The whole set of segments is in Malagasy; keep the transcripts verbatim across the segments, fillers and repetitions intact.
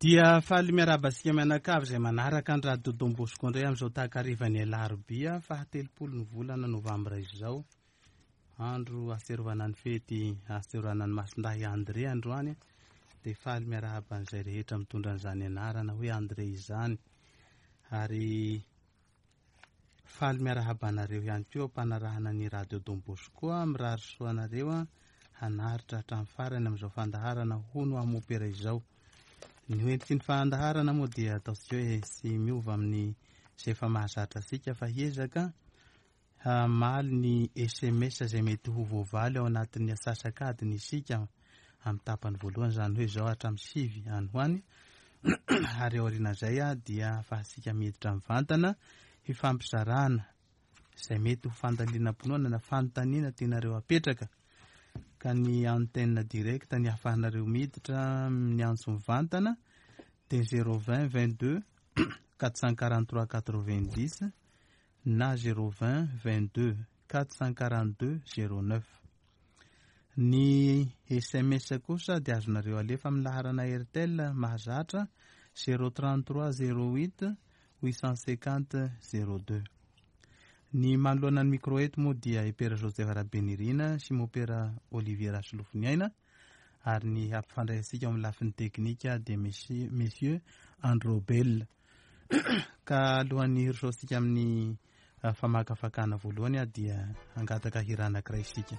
Dia faly miarahaba antsika mianakavy izay manaraka ny Radio Don Bosco indray amin'izao takarivan'ny alarobia fahatelopolo ny volana novambra izao. Andro ahatsiarovana ny fety ahatsiarovana ny Masindahy André androany. Dia faly miarahaba an'izay rehetra mitondra an'izany anarana hoe André izany. Ary faly miarahaba anareo ihany koa ampanarahana ny Radio Don Bosco, mirary soa anareo hanaritra hatramin'ny farany amin'izao fandaharana hono amopera izao. Ny hoentiky ny fandaharana moa dia ataontsika hoe tsy miova amin'ny izay efa mahazatra antsika fa hiezaka hamaly ny S M S izay mety ho voavaly ao anatin'ny asasakadiny isika amin'ny tapany voalohany, izany hoe izao hatramin'ny sivy any ho any. Ary aorian'izay dia ahafahantsika miditra mivantana hifampizarana izay mety ho fandalinam-pinoana na fanontaniana tianareo apetraka. Ka ny antenne directe ny ahafahanareo miditra ny antso mivantana dia zéro vingt vingt-deux quatre cent quarante-trois quatre-vingt-dix na zéro vingt vingt-deux quatre cent quarante-deux zéro neuf. Ny S M S kosa dia azonareo alefa amin'ny laharana Airtel mahazatra zéro trente-trois zéro huit huit cent cinquante zéro deux. Ny manoloana ny micro eto moa dia Epera Joseph Rabenirina sy Mopera Olivier Rasolofoniaina, ary ny hampifandray antsika ao amin'ny lafiny teknika dia Monsieur, Monsieur Androbel. Ka alohan'ny hirosoantsika amin'ny famakafakana voalohany dia hangataka hira anankiray isika.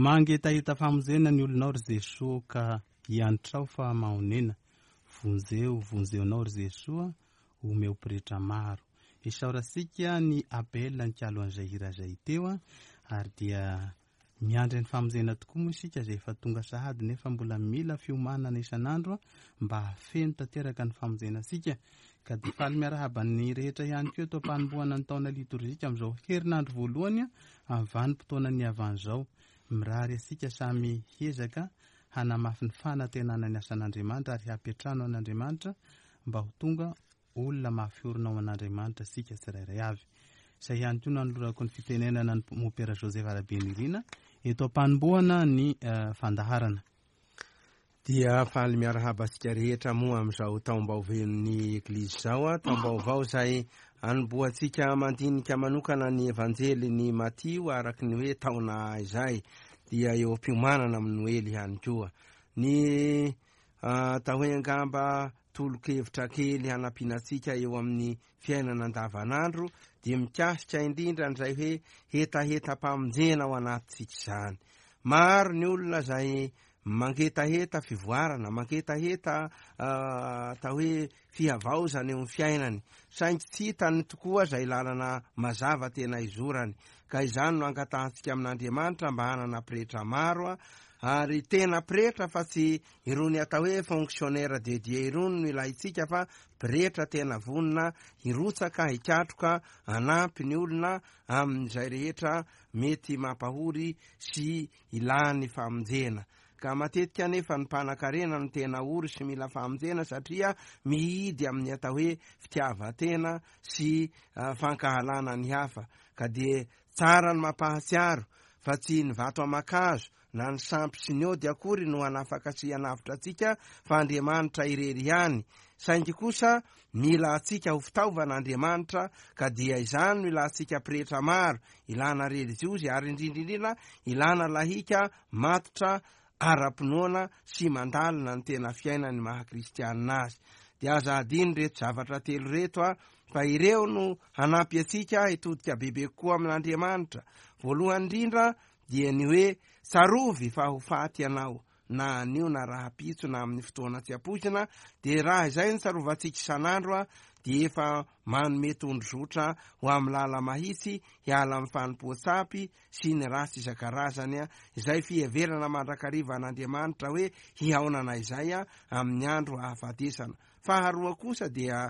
Mangetaheta famonjena ny olonao ry Jesoa ka hiantrao fa mahonena. Vonjeo, vonjeo anao ry Jesoa, omeo pretra maro. Isaorantsika ny Abel nikalo an'izay hira izay teo, ary dia miandry ny famonjena tokoa moa isika izay efa tonga sahady nefa mbola mila fiomanana isan'andro mba hahafeno tanteraka ny famonjena antsika. Ka dia faly miarahaba ny rehetra ihany koa eto am-panombohana ny taona litorjika amin'izao herinandro voalohany amin'ny vanim-potoana ny havan'izao. Mirary antsika samy hiezaka hanamafy ny fanantenana ny asan'Andriamanitra ary hampiantrano an'Andriamanitra mba ho tonga olona mafiorina ao an'Andriamanitra sika tsirairay avy. Izay ihany koa nanolorako ny fitenenana ny Mopera Joseph Rabenirina eto am-panombohana ny uh, fandaharana. Dia faly miarahaba antsika rehetra moa amin'izao taom-baovaon'ny Eglizy izao, a taom-baovao izay anombohantsika mandinika manokana ny Evanjely ny Matio araka ny hoe taona izay, dia eo am-piomanana amin'ny Noely ihany koa. Ny atao hoe angamba tolo-kevitra kely hanampiana antsika eo amin'ny fiainana andavanandro dia mikasika indrindra an'izay hoe hetahetam-pamonjena ao anatintsika izany. Maro ny olona izay mangetaheta fivoarana, mangetaheta atao hoe fihavaozana eo amin'ny fiainany, saingy tsy hitany tokoa izay lalana mazava tena izorany. Ka izany no angatahantsika amin'Andriamanitra mba hanana pretra maro, ary tena pretra fa tsy irony atao hoe fonctionnaire de Dieu irony no ilaintsika, fa pretra tena vonona hirotsaka hikatroka anampy ny olona amin'izay rehetra mety mampahory sy ilany famonjena. Ka matetika nefa ny mpanan-karena no tena ory sy mila famonjena, satria mihidy amin'ny atao hoe fitiavan-tena sy fankahalana ny hafa. Ka dia tsara ny mampahatsiaro fa tsy ny vato aman-kazo na ny sampy sy ny ody akory no hanafaka sy hanavotra antsika, fa Andriamanitra irery ihany. Saingy kosa mila antsika ho fitaovana Andriamanitra, ka dia izany no ilantsika pretra maro, ilana relijiozy, ary indrindra indrindra ilana lahika matotra ara-pinoana sy mandalina ny tena fiainany maha kristianina azy. Dia aza adino reto zavatra telo reto a, fa ireo no hanampy antsika hitodika bebe kokoa amin'Andriamanitra. Voalohany indrindra dia ny hoe tsarovy fa ho faty ianao, na anio na rahampitso na amin'ny fotoana tsy ampoizina. Dia raha izay ny tsarovantsika isan'andro a, dia efa manome tondrozotra ho amin'ny lala mahitsy hiala amin'ny fanompoan-tsampy sy ny ratsy isan-karazany a, izay fiheverana mandrakariva an'Andriamanitra hoe hihaonana izay a amin'ny andro ahafatesana. Faharoa kosa dia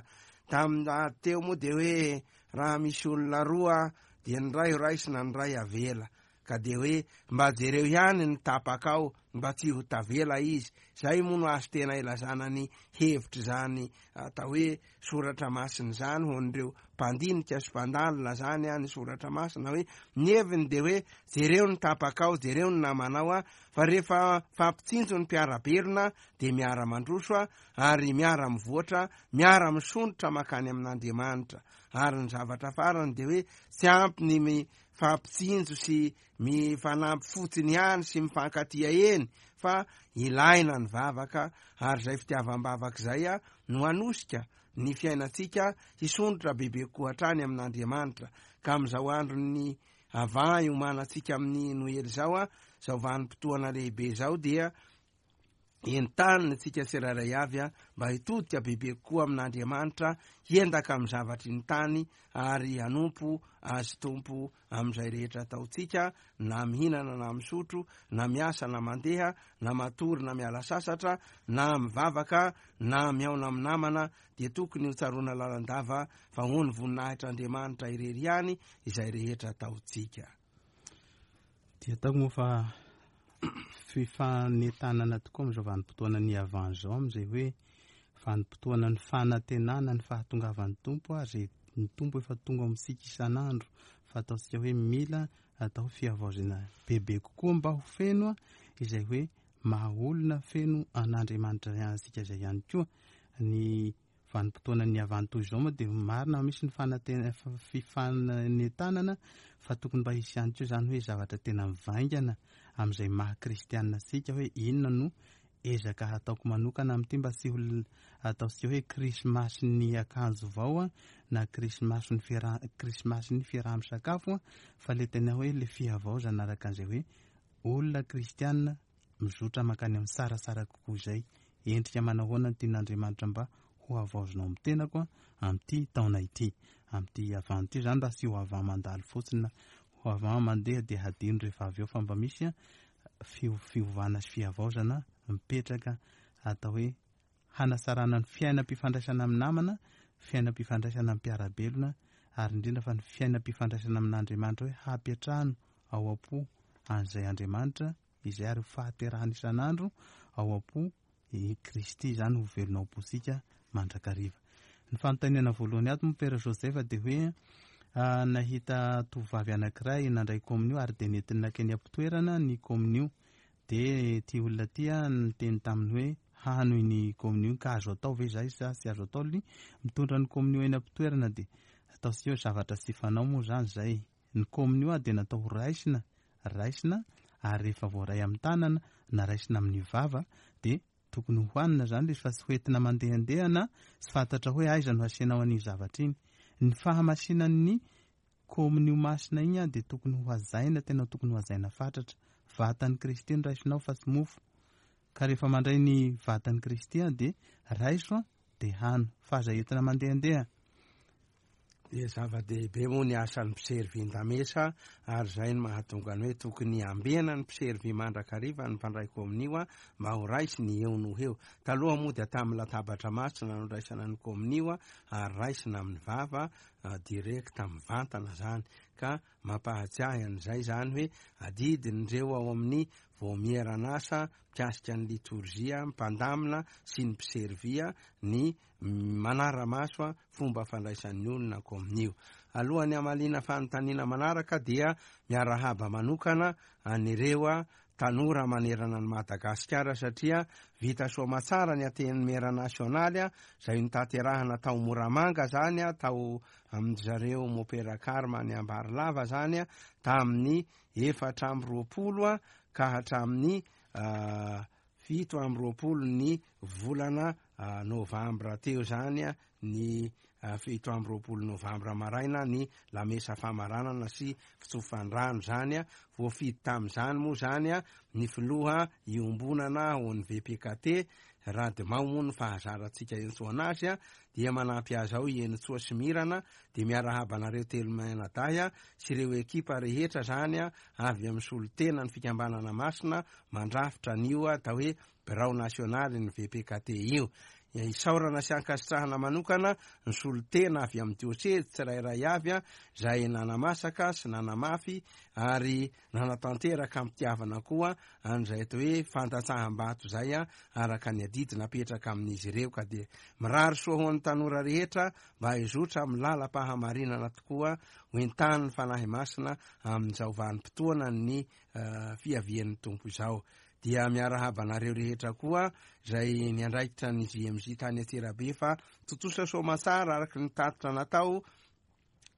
tamin'ny teo moa dia hoe raha misy olona roa dia ny ray raisina ny ray avela, ka dia hoe mba jereo ihany ny tapakao mba tsy ho tavela izy. Zay moa no azo tena ilazana ny hevitra zany atao hoe soratra masina zany ho an'ireo mpandinika sy mpandalina zany a ny soratra masina, hoe ny heviny de hoe jereo ny tapakao, jereo ny namanao a, fa rehefa fampitsinjo ny mpiara-belona de miara-mandroso a, ary miara-mivoatra, miara-misondrotra makany amin'Andriamanitra. Ary ny zavatra farany de hoe tsy ampy ny mifampitsinjo sy mifanampy fotsiny ihany sy mifankatia eny, fa ilaina ny vavaka, ary zay fitiavam-bavaka izay a no hanosika ny fiainantsika hisondrotra bebe kokoa hatrany amin'Andriamanitra. Ka amin'izao andron'ny avant iomanantsika amin'ny Noely zao a, zao vanim-potoana lehibe zao, dia entanina antsika tsirairay avy a mba hitodika bebe kokoa amin'Andriamanitra, hiendaka amin'ny zavatry ny tany, ary hanompo azy Tompo amin'izay rehetra ataontsika, na mihinana na misotro, na miasa na mandeha, na matory na miala sasatra, na mivavaka na mihaona amin'ny namana, dia tokony ho tsaroana lalandava fa ho ny voninahitr'Andriamanitra irery ihany izay rehetra ataontsika. Dia ataoko moa fa fifanentanana tokoa amin'izao vanim-potoana ny avant izao, amin'izay hoe vanim-potoana ny fanantenana ny fahatongavan'ny Tompo, ary ny Tompo efa tonga amintsika isan'andro, fa ataontsika hoe mila atao fihavaozana bebe kokoa mba ho feno izay hoe maha olona feno an'Andriamanitra antsika izay ihany koa. Ny vanim-potoana ny avant toy izao moa dia marina misy ny fanantena fifanentanana, fa tokony mba hisy ihany koa izany hoe zavatra tena mivaingana amin'izay maha kristianina antsika, hoe inona no ezaka hataoko manokana amin'ity mba tsy ho ataontsika hoe krismasy ny akanjo vao a, na krismasy ny fiaraha krismasy ny fiaraha-misakafo a, fa le tena hoe le fihavaozana araka an'izay hoe olona kristianina mizotra mankany amin'ny tsaratsara kokoa izay. Endrika manao ahoana ny tian'Andriamanitra mba ho havaozinao amin'ny tenako a amin'ity taona ity, amin'ity avant ity zany, mba tsy ho avant mandalo fotsiny, ho avant mandeha dia hadino rehefa avy eo, fa mba misy a fiovana sy fihavaozana mipetraka atao hoe hanatsarana ny fiainam-pifandraisana amin'ny namana, fiainam-pifandraisana amin'ny mpiara-belona, ary indrindra fa ny fiainam-pifandraisana amin'Andriamanitra, hoe hampiatrano ao am-po an'izay Andriamanitra izay, ary fahaterahana isan'andro ao am-po i Kristy izany ho velona ao am-pontsika mandrakariva. Ny fanontaniana voalohany ato moa Père Joseph dia hoe nahita tovovavy anankiray nandray komonio ary dia nentiny nankeny am-pitoerana ny komonio. Dia ity olona ity niteny taminy hoe hano iny komonio ka azo atao ve izay sa tsy azo atao ny mitondra ny komonio eny am-pitoerana? Dia ataontsika hoe zavatra tsy fanao moa izany izay. Ny komonio dia natao ho raisina, raisina ary rehefa voaray amin'ny tanana na raisina amin'ny vava dia tokony hohanina izany ilay izy fa tsy hoentina mandehandeha na tsy fantatra hoe aiza no hasianao an'iny zavatra iny. Ny fahamasinan'ny komonio masina iny dia tokony ho hajaina, tena tokony ho hajaina fatratra. Vatan'i Kristy no raisinao fa tsy mofo. Ka rehefa mandray ny vatan'i Kristy dia raiso dia hano, fa aza entina mandehandeha. Dia zava-dehibe moa ny asan'ny mpiservin-damesa, ary izay no mahatonga ny hoe tokony ambena ny mpiservy mandrakariva ny mpandray komonio mba ho raisiny eo no eo. Taloha moa dia tamin'ny latabatra masina no raisana ny komonio ary raisina amin'ny vava direct mivantana zany, ka mampahatsiahy an'izay zany hoe adidin'ireo ao amin'ny vaomieran'asa mikasika ny litorjia, mpandamina sy ny mpiservia ny manara-maso fomba fandraisan'ny olona komonio. Alohan'ny hamaliana fanontaniana manaraka dia miarahaba manokana an'ireo tanora manerana ny Madagasikara, satria vita soamatsara ny Antenimiera nasionaly izay notanterahana tao Moramanga zany, tao amin-dry zareo Mopera Karma ny Ambarilava zany, tamin'ny efatra amby roapolo ka hatramin'ny fito amby roapolo ny volana novambra teo zany, ny fito amby roapolo novambra maraina ny lamesa famaranana sy fitsofan-drano zany. Voafidy tamin'izany moa zany ny filoha iombonana ho an'ny V P K T Radimao moa ny fahazarantsika entsoana azy, dia manampy azy ao i Enitsoa sy Mirana. Dia miarahaba anareo telo mianadahy sy ireo ekipa rehetra zany avy amin'ny solontena ny fikambanana masina mandrafitra an'io atao hoe birao nasionaly ny V P K T io. Isaorana sy ankasitrahana manokana ny solontena avy amin'ny diosezy tsirairay avy izay nanamasaka sy nanamafy ary nanatanteraka am-pitiavana koa an'izay atao hoe fandatsaham-bato izay araka ny adidy napetraka amin'izy ireo. Ka dia mirary soa ho an'ny tanora rehetra mba hizotra amin'ny lalam-pahamarinana tokoa, ho entanin'ny Fanahy Masina amin'izao vanim-potoana ny fiavian'ny Tompo izao. Dia miarahaba anareo rehetra koa izay niandraikitra ny J M J tany Antsirabe fa tontosa soamatsara araka ny tatitra natao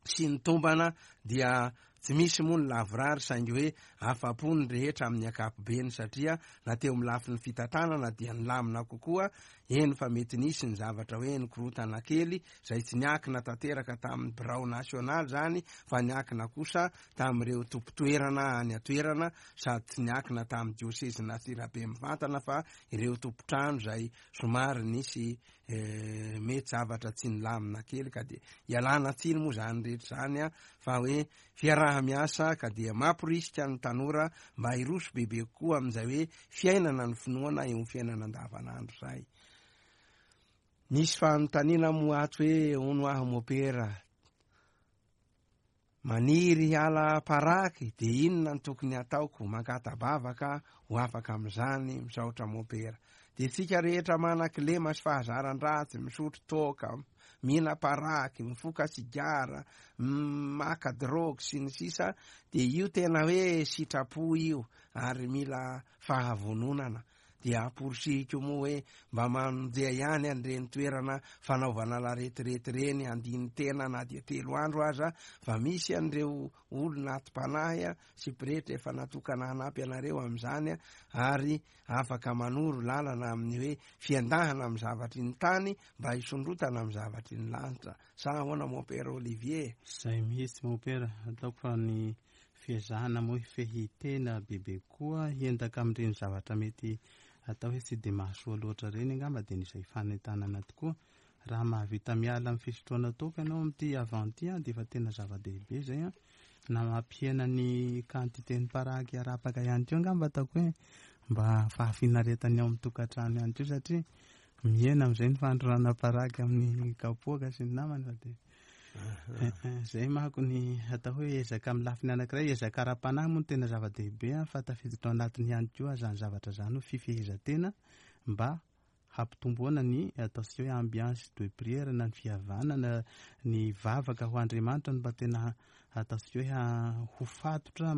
sy ny tombana, dia tsy misy moa ny lavorary saingy hoe afa-po ny rehetra amin'ny ankapobeny, satria na teo amin'ny lafiny fitantanana dia nilamina kokoa, eny fa mety nisy ny zavatra hoe nikorotana kely izay tsy niankina tanteraka tamin'ny birao nasionaly zany, fa niankina kosa tamin'ireo tompon-toerana any an-toerana, sady tsy niankina tamin'ny diosezy Antsirabe mivantana fa ireo tompon-trano izay somary nisy, eh, mety zavatra tsy nilamina kely, ka dia ialana tsiny moa zany rehetra zany a, fa hoe fiaraha-miasa, ka dia mamporisika ny tanora mba hiroso bebe kokoa amin'izay hoe fiainana ny finoana eo amin'ny fiainana andavanandro izay. Nisy fanontaniana moa ato hoe hono aho mopera maniry hiala paraky dia inona no tokony hataoko? Mangata-bavaka ho afaka amin'izany, misaotra mopera. Dia tsika rehetra manan-kilema sy fahazaran-dratsy, misotro toaka, mihina paraky, mifoka sigara, maka drogue sy ny sisa, dia io tena hoe sitrapo io ary mila fahavononana. Dia amporisihiko moa hoe mba mandeha ihany an'ireny toerana fanaovana laretirety ireny, andiny tena na dia telo andro aza, fa misy an'ireo olona atim-panahy sy pretra efa natokana hanampy anareo amin'izany, ary afaka manoro lalana amin'ny hoe fiandahana amin'ny zavatry ny tany mba hisondrotana amin'ny zavatry ny lanitra. Sa ahoana mon père Olivier? Zay mihitsy mon père, ataoko fa ny fiezahana moa hifehy tena bebe koa hiendaka amin'ireny zavatra mety atao hoe tsy dia mahasoa loatra ireny angamba, dia nisy fanentanana tokoa. Raha mahavita miala amin'ny fisotroana toaka ianao amin'ity avant ity dia efa tena zava-dehibe izay a. Na mampihena ny quantité ny paraky arapaka ihany koa angamba, ataoko hoe mba fahafinaretany ao amin'ny tokantrano ihany koa, satria mihena amin'izay ny fandrorana paraky amin'ny kapoaka sy ny namany. Fa dia zay manko ny atao hoe ezaka amin'ny lafiny anankiray, ezaka ara-panahy moa no tena zava-dehibe a, fa tafiditra ao anatiny ihany koa zany zavatra zany hoe fifehezan-tena mba hampitomboana ny ataontsika hoe ambiance de prière na ny fihavanana, ny vavaka ho Andriamanitra no mba tena ataontsika hoe ho fatotra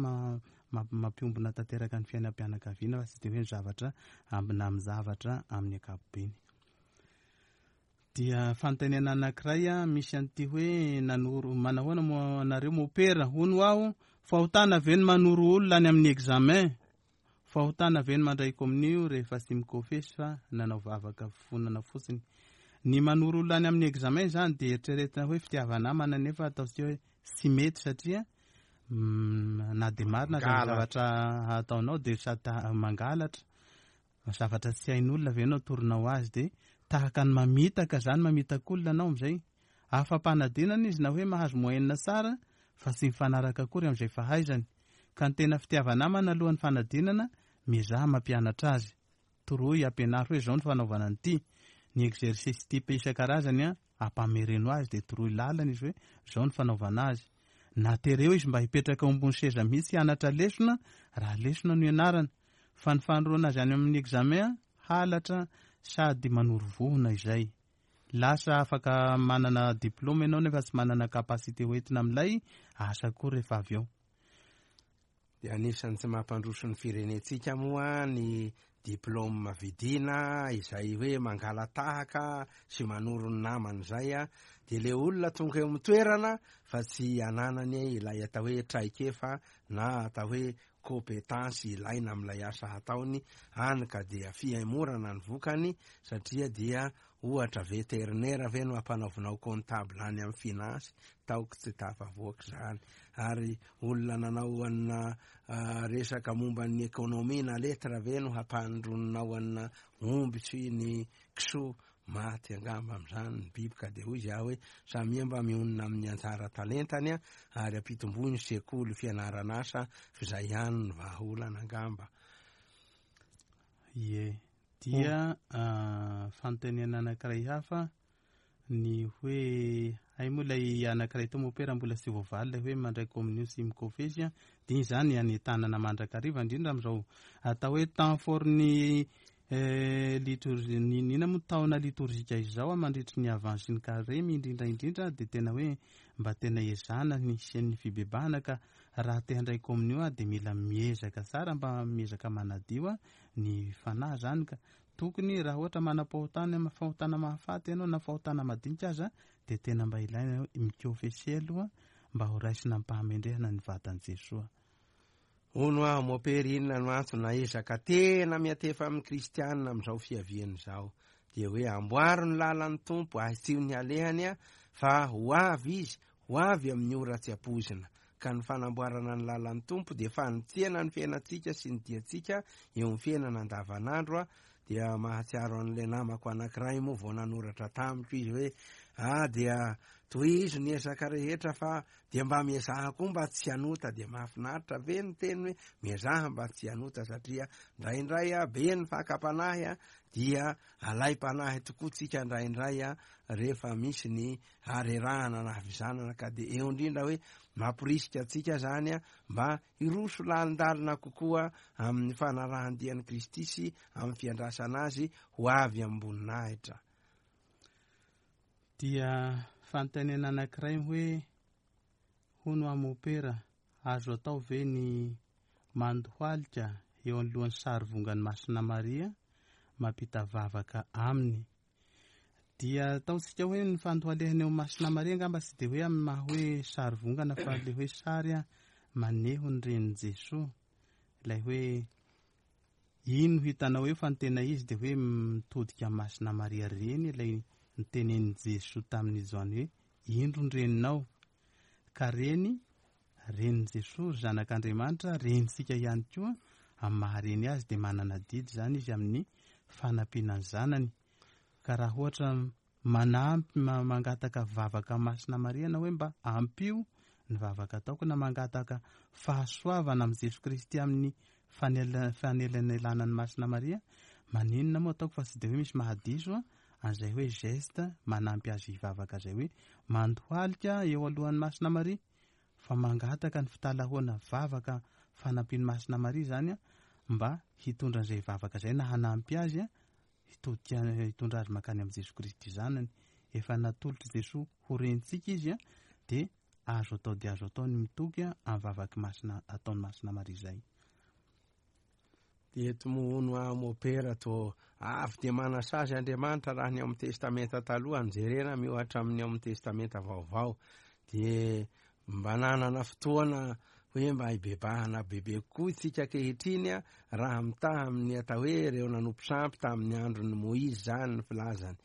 mampiombona tanteraka ny fiainam-pianakaviana, fa tsy de hoe ny zavatra ambina amin'ny zavatra amin'ny ankapobeny. Dia fanontaniana anankiray a misy an'ity hoe nanoro manahoana moa anareo mopera, hono aho, fahotana ve ny manoro olona any amin'ny examen? Fahotana ve ny mandray komonio rehefa tsy mikofesy fa nanao vavaka fonana fotsiny? Ny manoro olona any amin'ny examen zany dia eritreretina hoe fitiava-namana, nefa ataontsika hoe tsy mety, satria na dia marina aza ny zavatra ataonao dia sady mangalatra zavatra tsy hain'olona ve anao toronao azy, dia tahaka ny mamitaka zany, mamitaka olona anao amin'izay. Afa-panadinana izy na hoe mahazo moyenne tsara fa tsy mifanaraka akory amin'izay fahaizany. Ka ny tena fitiava-namana alohan'ny fanadinana, miezaha mampianatra azy, toroy, ampianaro hoe zao ny fanaovana an'ity, ny exercice type isan-karazany a ampamereno azy, dia toroy lalana izy hoe zao ny fanaovana azy. Na tereo izy mba hipetraka ao ambony seza mihitsy hianatra lesona raha lesona no ianarana, fa ny fanoroana azy any amin'ny examen halatra sady manoro vohona izay. Lasa afaka manana diplôme ianao nefa tsy manana capacité hoentina amin'ilay asa koa rehefa avy eo. Dia anisan'ny tsy mampandroso ny firenentsika moa ny diplôme vidina izay hoe mangalatahaka sy manoro ny namana izay a, dia le olona tonga eo amin'ny toerana fa tsy ananany ilay atao hoe traikefa na atao hoe compétence ilaina amin'ilay asa hataony any, ka dia fihaimorana ny vokany, satria dia ohatra vétérinaire ve no ampanaovinao comptable any amin'ny finance, taoko tsy tafavoaka izany. Ary olona nanao anina resaka momba ny économie na lettre ve no hampandroninao anina omby sy ny kisoa, maty angamba amin'izany ny biby. Ka dia hoy izy aho hoe samia mba mionona amin'ny anjara talentany a, ary ampitomboy ny sekoly fianarana asa, f'izay ihany ny vahaolana angamba. Ie, dia fanontaniana anankiray hafa ny hoe hay moa ilay anankiray tao mopera mbola tsy voavaly ilay hoe mandray komonio sy mikofesy a, dia iny zany anentanana mandrakariva indrindra amin'izao atao hoe temps fort ny litorzi nina moa taona litorjika izao a, mandritry ny avance ny karemy indrindra indrindra, dia tena hoe mba tena ezahana ny hisian'ny fibebahana. Ka raha te handray komonio a dia mila miezaka tsara, mba miezaka manadio a ny fanahy zany. Ka tokony raha ohatra manam-pahotana, fahotana mahafaty ianao na fahotana madinika aza, dia tena mba ilaina mikofesy aloha mba ho raisina am-pahamendrehana ny vatan'i Jesoa. Hono aho mopery, inona no antso na ezaka tena miatefa amin'ny kristianina amin'izao fiaviany izao? Dia hoe amboaro ny lalan'ny Tompo, ahitsio ny alehany a, fa ho avy izy, ho avy amin'ny ora tsy ampoizina. Ka ny fanamboarana ny lalan'ny Tompo dia fanitsiana ny fiainantsika sy ny diantsika eo amin'ny fiainana andavanandro a. Dia mahatsiaro an'ilay namako anankiray moa vao nanoratra tamiko izy hoe ah dia tohizo ny ezaka rehetra fa dia mba miezaha koa mba tsy hanota. Dia mahafinaritra ve ny teny hoe miezaha mba tsy hanota, satria indraindray a be ny fakam-panahy a, dia alaim-panahy tokoa tsika indraindray a rehefa misy ny harerahana na havizanana. Ka dia eo indrindra hoe mamporisika antsika zany a mba hiroso lalindalina kokoa amin'ny fanarahan-dian'i Kristy sy amin'ny fiandrasana azy ho avy am-boninahitra. Dia fanontaniana anankiray hoe hono amopera, azo atao ve ny mandohalika eo anoloan'ny sary vongan'ny Masina Maria mampita vavaka aminy? Dia ataontsika hoe ny fandohalehana eo Masina Maria angamba tsy dia hoe amin'ny maha hoe sary vongana, fa le hoe sary a maneho ny renin'i Jesoa, ilay hoe ino hitanao eo, fa ny tena izy dia hoe mitodika Masina Maria reny, ilay nitenenin'i Jesoa tamin'i Joany hoe indro ny reninao. Ka reny, renin'i Jesoa, zanak'Andriamanitra, renintsika ihany koa, amin'ny maha reny azy dia manana didy zany izy amin'ny fanampiana ny zanany. Ka raha ohatra manampy, mangataka vavaka Masina Maria na hoe mba ampio ny vavaka ataoko, na mangataka fahasoavana amin'i Jesoa Kristy amin'ny fanelanelanan'ny Masina Maria, maninona moa ataoko fa tsy dia hoe misy mahadiso a an'izay hoe geste manampy azy hivavaka izay hoe mandohalika eo alohan'ny Masina Maria, fa mangataka ny fitalahoana vavaka fanampian'ny Masina Maria zany a mba hitondra an'izay vavaka izay na hanampy azy a hitodika hitondra azy mankany amin'i Jesoa Kristy zanany. Efa natolotra Jesoa ho rentsika izy a, dia azo atao dia azo atao ny mitoky a amin'ny vavaky masina ataon'ny Masina Maria izay. Dia eto moa hono aho mopera to avy dia manasazy Andriamanitra raha ny ao amin'ny Testamenta taloha no jerena miohatra amin'ny ao amin'ny Testamenta vaovao. Dia mba nanana fotoana hoe mba hibebahana bebe kokoa isika ankehitriny a, raha mitaha amin'ny atao hoe ireo nanompo sampy tamin'ny andron'ny Moizy zany ny filazany.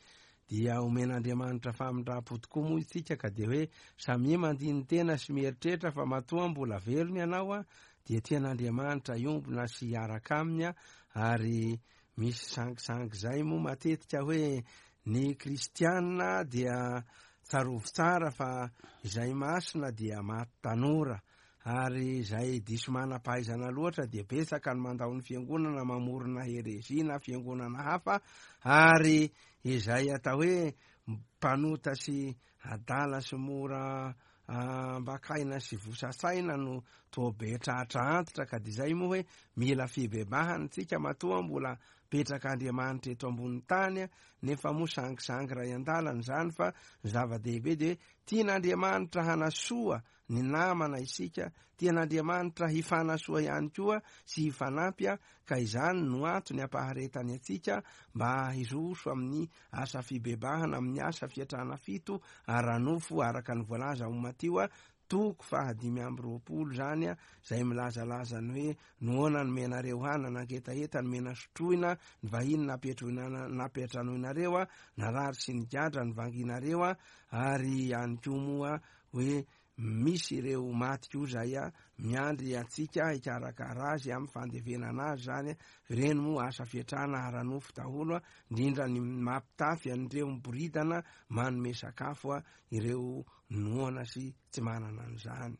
Dia omen'Andriamanitra famindram-po tokoa moa isika, ka dia hoe samia mandini-tena sy mieritreritra fa matoa mbola velona ianao a, dia tian'Andriamanitra hiombona sy hiaraka aminy a. Ary misy sangisangy zay moa matetika hoe ny kristianina dia tsarovy tsara fa izay masina dia maty tanora, ary izay diso manam-pahaizana loatra dia betsaka ny mandao ny fiangonana, mamorona herezia na fiangonana hafa, ary izay atao hoe mpanota sy adala sy mora ambakaina sy vosasaina no toa be tratra antitra. Ka dia izay moa hoe mila fibebahana tsika matoa mbola petraka Andriamanitra eto ambony tany, nefa moa sangisangy ray an-dalana izany, fa ny zava-dehibe dia hoe tian'Andriamanitra hanasoa ny namana isika, tian'Andriamanitra hifanasoa ihany koa sy hifanampy, ka izany no antony ampaharetany antsika mba hiroso amin'ny asa fibebahana, amin'ny asa fiatrana fito ara-nofo araka ny voalaza ao Matio toko fahadimy amby roapolo zany a, izay milazalaza ny hoe noana ny menareo hanana, nangetaheta ny mena sotroina, ny vahiny nampiatroina nampiatranoinareo a, narary sy nigadra ny vanginareo a, ary ihany koa moa hoe misy ireo maty koa zay a miandry antsika hikarakara azy amin'ny fandevenana azy zany. Ireny moa asa fiatrana ara-nofo daholo a, indrindra ny mampitafy an'ireo miboridana, manome sakafo a ireo noana sy tsy manana an'izany.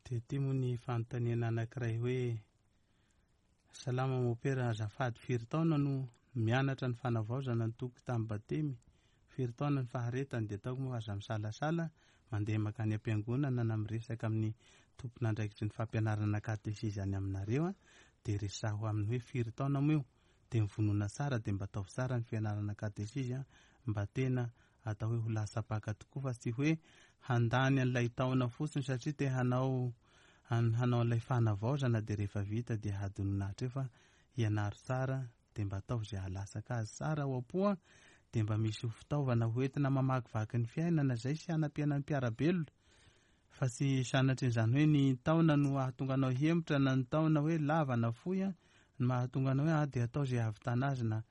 Dia ity moa ny fanontaniana anankiray hoe salama mopera, azafady, firy taona no mianatra ny fanavaozana ny toko tamin'ny batemy? Firy taona ny faharetany? Dia ataoko moa aza misalasala mandeha mankany am-piangonana na miresaka amin'ny tompon'andraikitry ny fampianarana katesizy any aminareo a, dia resaho aminy hoe firy taona moa io, dia mivonona tsara, dia mba ataovy tsara ny fianarana katesizy a, mba tena atao hoe ho lasapaka tokoa, fa tsy hoe handany an'ilay taona fotsiny satria te hanao hanao an'ilay fanavaozana, dia rehefa vita dia hadinona hatreo, fa hianaro tsara, dia mba ataovy izay hahalasaka azy tsara ao am-po a, dia mba misy fitaovana hoentina mamakivaky ny fiainana izay sy hanampiana ny mpiara-belona, fa tsy sanatrin'izany hoe ny taona no hahatonga anao hemotra na ny taona hoe lava na fohy a, no mahatonga anao hoe ah dia atao izay hahavitana azy, na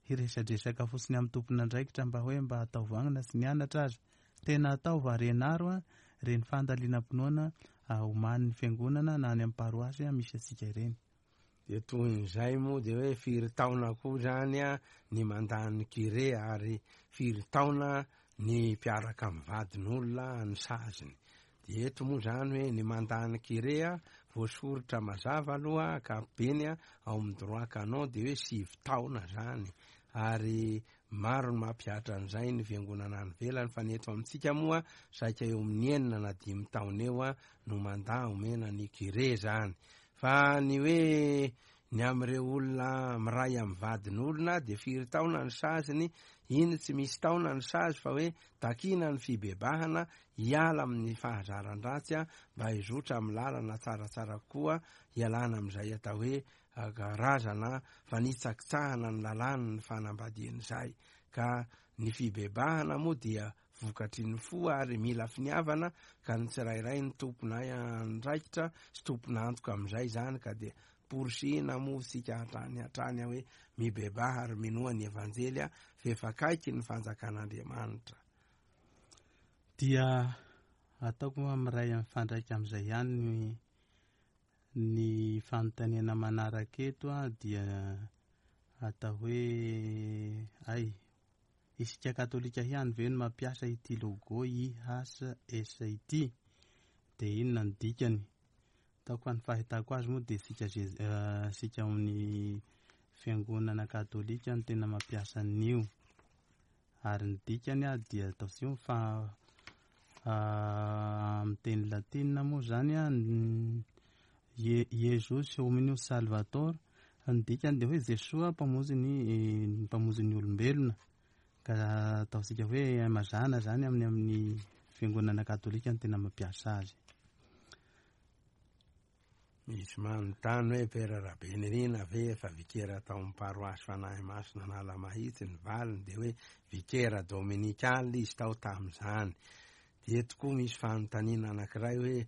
hiresadresaka fotsiny amin'ny tompon'andraikitra mba hoe mba atao vanona sy nianatra azy. Tena atao varenaro a reny fandalinam-pinoana omanin'ny fiangonana na any amin'ny paroasy misy antsika ireny. Dia tohin'izay moa dia hoe firy taona koa zany a ny mandany curé, ary firy taona ny mpiaraka amin'ny vadin'olona ny saziny. Dia eto moa zany hoe ny mandany curé a voasoritra mazava aloha ankapobeny a ao amin'ny droit canon dia hoe sivy taona zany, ary maro ny mampihatra an'izay ny fiangonana any ivelany, fa ny eto amintsika moa saika eo amin'ny enina na dimy taona eo a no mandà omena ny curé zany. Fa ny hoe ny amin'ireo olona miray amin'ny vadin'olona dia firy taona ny saziny, iny tsy misy taona ny sazy, fa hoe takiana ny fibebahana hiala amin'ny fahazaran-dratsy a, mba hizotra amin'ny lalana tsaratsara kokoa, hialana amin'izay atao hoe karazana fanitsakitsahana ny lalàna ny fanambadian'izay. Ka ny fibebahana moa dia vokatry ny fo ary mila finiavana, ka ny tsirairay ny tompona andraikitra sy tompona antoka amin'izay zany, ka dia porisihina moa isika hatrany hatrany hoe mibebaha ary minoa ny evanjely a, fa efa akaiky ny fanjakan'Andriamanitra. Dia ataoko moa miray mifandraika amin'izay ihany ny ny fanontaniana manaraka eto a, dia atao hoe ay isika katolika ihany ve no mampiasa ity logo I H S ity, dia inona ny dikany? Ataoko fa ny fahitako azy moa dia isika isika ao amin'ny fiangonana katolika no tena mampiasa an'io, ary ny dikany a dia ataontsika fa amin'ny teny latinina moa zany a, Jesus Hominus Salvator, Ny dikany dia hoe Jesoa mpamonjy ny mpamonjy ny olombelona, ka ataontsika hoe mazàna zany amin'ny amin'ny fiangonana katolika no tena mampiasa azy. Misy manontany hoe Père Rabenirina ve efa vikera tao amin'ny paroasy Fanahy Masina Analamahitsy? Ny valiny dia hoe vikera dominikal izy tao tamin'izany. Dia tokoa misy fanontaniana anankiray hoe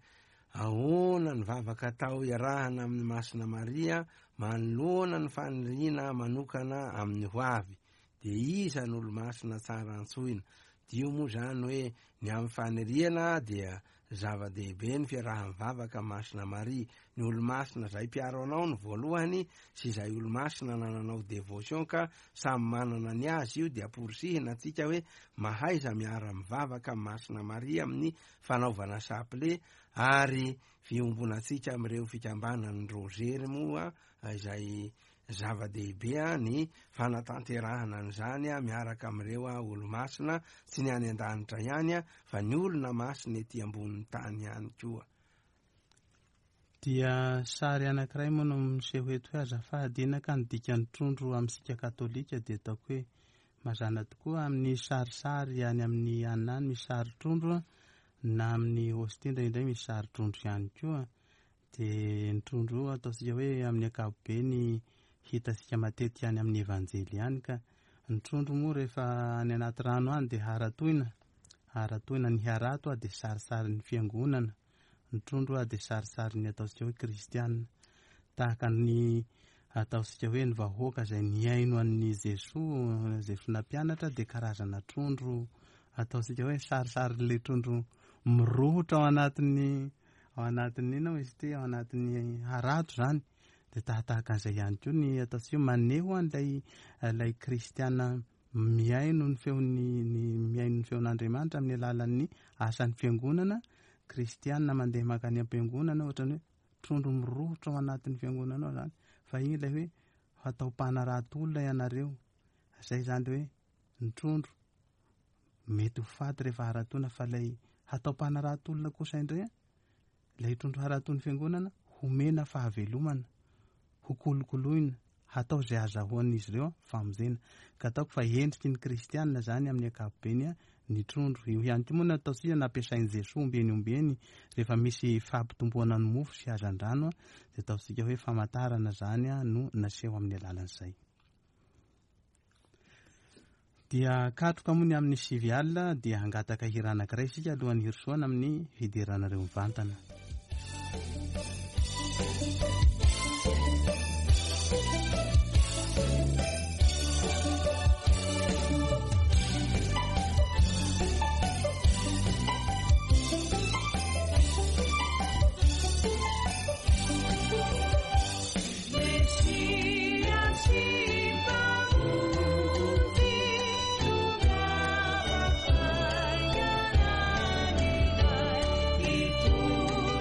ahoana ny vavaka atao iarahana amin'ny Masina Maria manoloana ny faniriana manokana amin'ny ho avy? Dia iza no olo-masina tsara antsoina? Dio moa zany hoe ny amin'ny faniriana dia zava-dehibe ny fiaraha-mivavaka Masina Maria. Ny olo-masina izay mpiaro anao ny voalohany sy izay olo-masina nananao dévotion ka samy manana ny azy io, dia amporisihina antsika hoe mahaiza miara-mivavaka Masina Maria amin'ny fanaovana chapelet ary fiombonantsika amin'ireo fikambanan'ny rozery moa izay zava-dehibe ny fanatanterahana an'izany miaraka amin'ireo olo-masina, tsy ny any an-danitra ihany fa ny olona masina ety ambonin'ny tany ihany koa. Dia sary anankiray moa no miseho eto hoe azafady ina ka ny dikan'ny trondro amintsika katolika dia ataoko hoe mazàna tokoa amin'ny sarisary any amin'ny anina any misy sary trondro, na amin'ny hostie indraindray misy sary trondro ihany koa. Dia ny trondro ataontsika hoe amin'ny ankapobeny hitantsika matetika any amin'ny evanjely ihany, ka ny trondro moa rehefa any anaty rano any dia haratoina, haratoina ny harato dia sarisarin'ny fiangonana, ny trondro dia sarisarin'ny ataontsika hoe kristianina, tahaka ny ataontsika hoe ny vahoaka izay nihaino an'i Jesoa, Jesoa nampianatra dia karazana trondro ataontsika hoe sarisarin'ilay trondro mirohotra ao anatin'ny ao anatin'ny inona izy ity, ao anatin'ny harato zany. Dia tahatahaka an'izay ihany koa ny ataontsika hoe maneho an'ilay ilay kristiana mihaino ny feon'ny ny mihaino ny feon'Andriamanitra amin'ny alalan'ny asan'ny fiangonana, kristiana mandeha mankany am-piangonana ohatrany hoe trondro mirohotra ao anatin'ny fiangonana ao zany, fa iny ilay hoe hatao mpanarato olona ianareo. Izay zany hoe ny trondro mety ho faty rehefa haratoina, fa ilay hatao mpanarato olona kosa indray ilay trondro haratoin'ny fiangonana homena fahavelomana, ho kolokoloina, hatao izay azahoan'izy ireo famonjena. Ka ataoko fa endriky ny kristianina zany amin'ny ankapobeny ny trondro. Io ihany koa moa no ataontsika nampiasain'i Jesoa ombieny ombieny rehefa misy fampitomboana ny mofo sy hazandrano, dia ataontsika hoe famantarana zany no naseho amin'ny alalan'izay. Dia katroka moa ny amin'ny sivy alina dia hangataka hira anankiray isika alohan'ny hirosoana amin'ny fideranareo mivantana. Itu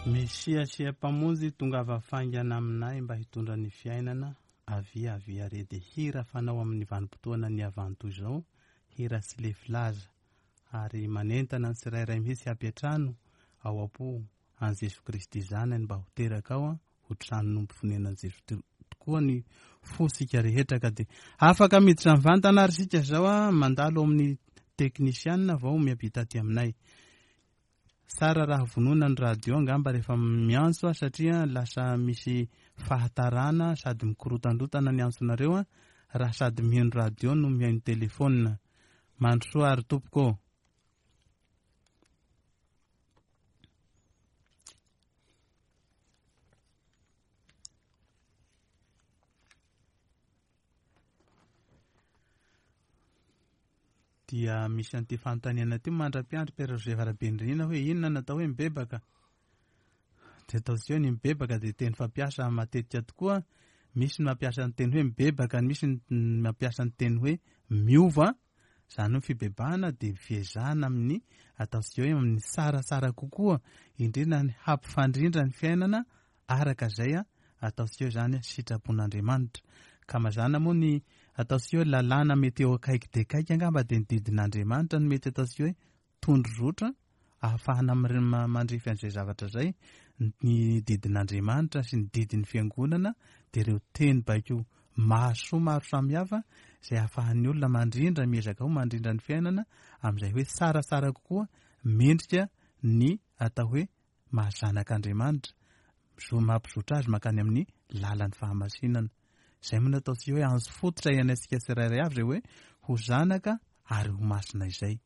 Mesia sy Mpamonjy tongava faingana aminay mba hitondra ny fiainana. Avia avia re dia hira fanao amin'ny vanim-potoana ny avanto izao, hira sy lefilaza ary manentana ny tsirairay mihitsy hampiantrano ao am-po an'i Jesoa Kristy zanany mba ho teraka ao, ho tranon'omby fonenan'i Jesoa tokoa ny fosika rehetra. Ka dia afaka miditra mivantana ary isika izao a mandalo amin'ny teknisianina vao miampita aty aminay. Tsara raha vonona ny radio angamba rehefa miantso a, satria lasa misy fahatarana sady mikorotandrotana ny antsonareo a, raha sady mihaino radio no mihaino telefôna. Mandrosoa ary tompoko. Dia misy an'ity fanontaniana ity mandra-piandry Père Joseph Rabendrina hoe inona natao hoe mibebaka? Dia ataontsika hoe ny mibebaka dia teny fampiasa matetika tokoa. Misy ny mampiasa ny teny hoe mibebaka, misy ny mampiasa ny teny hoe miova. Izany hoe fibebahana dia fiezahana amin'ny ataontsika hoe amin'ny tsaratsara kokoa, indrindra ny hampifandrindra ny fiainana araka izay ataontsika hoe izany sitrapon'Andriamanitra. Ka mazàna moa ny ataontsika hoe lalàna mety eo akaiky dia akaiky angamba dia ny didin'Andriamanitra no mety ataontsika hoe tondrozotra ahafahana mandrify an'izay zavatra izay. Ny didin'Andriamanitra sy ny didin'ny fiangonana dia ireo teny baiko mahasoa maro samihafa izay ahafahan'ny olona mandrindra, miezaka ho mandrindra ny fiainana amin'izay hoe tsaratsara kokoa, mendrika ny atao hoe mahazanak'Andriamanitra, mampizotra azy mankany amin'ny lalan'ny fahamasinana. Izay moa no ataontsika hoe anjo fototra iainantsika tsirairay avy izay hoe ho zanaka ary ho masina izay.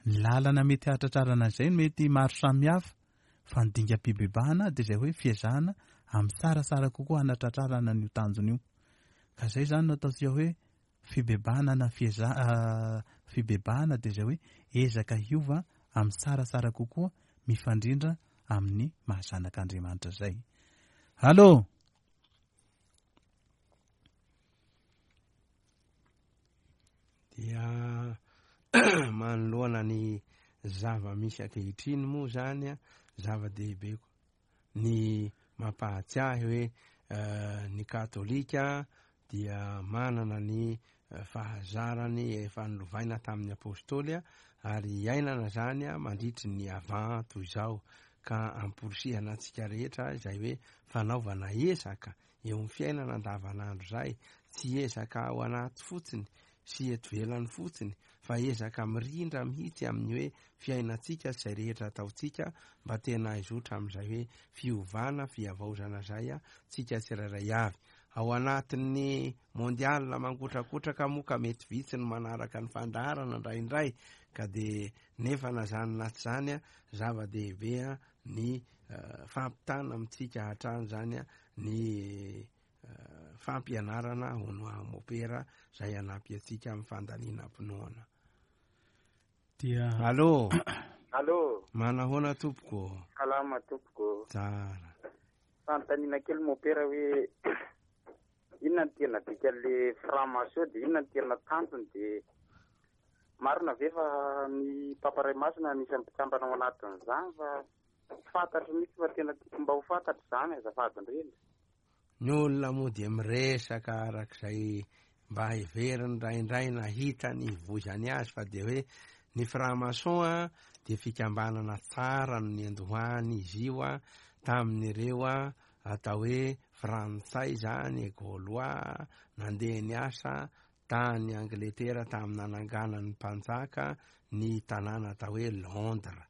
Ny lalana mety hahatratrarana izay no mety maro samihafa, fa ny dingam-pibebahana dia izay hoe fiezahana amin'ny tsaratsara kokoa hanatratrarana an'io tanjona io. Ka izay izany no ataontsika hoe fibebahana na fieza- fibebahana dia izay hoe ezaka hiova amin'ny tsaratsara kokoa mifandrindra amin'ny mahazanak'Andriamanitra izay. Allô? Dia manoloana ny zava-misy ankehitriny moa zany a, zava-dehibe ny mampahatsiahy hoe ny katolika dia manana ny fahazarany efa nolovaina tamin'ny apôstôly ary iainana zany a mandritry ny avant toy izao, ka amporisihana antsika rehetra izay hoe fanaovana ezaka eo amin'ny fiainana andavanandro izay, tsy ezaka ao anaty fotsiny sy eto ivelany fotsiny, fa ezaka mirindra mihitsy amin'ny hoe fiainantsika sy izay rehetra ataontsika mba tena hizotra amin'izay hoe fiovana, fihavaozana izay a tsika tsirairay avy. Ao anatin'ny mondial mangotrakotraka moa ka mety vitsy ny manaraka ny fandaharana indraindray, ka dia nefa na zany na tsy zany a, zava-dehibe a ny fampitana amintsika hatrany zany a ny fampianarana hono mopera izay hanampy antsika amin'ny fandalinam-pinoana. Dia Allô? Allô? Manahoana tompoko? Salama tompoko. Tsara. Fanontaniana kely mopera hoe inona ny tena dikan'le franc-maçon dia inona ny tena tanjony, dia marina ve fa ny Papa Ray Masina anisan'ny mpikambana ao anatin'izany, fa tsy fantatro mihitsy fa tena tiako mba ho fantatro izany azafady indrindra. Ny olona moa dia miresaka arak'izay mba heveriny indraindray na hitany hivoizany azy, fa dia hoe ny franc-maçon a dia fikambanana tsara no niandohany izy io a tamin'ireo a atao hoe frantsay zany, Gaulois, nandeha niasa tany Angletera tamin'ny nananganan'ny mpanjaka ny tanàna atao hoe Londres.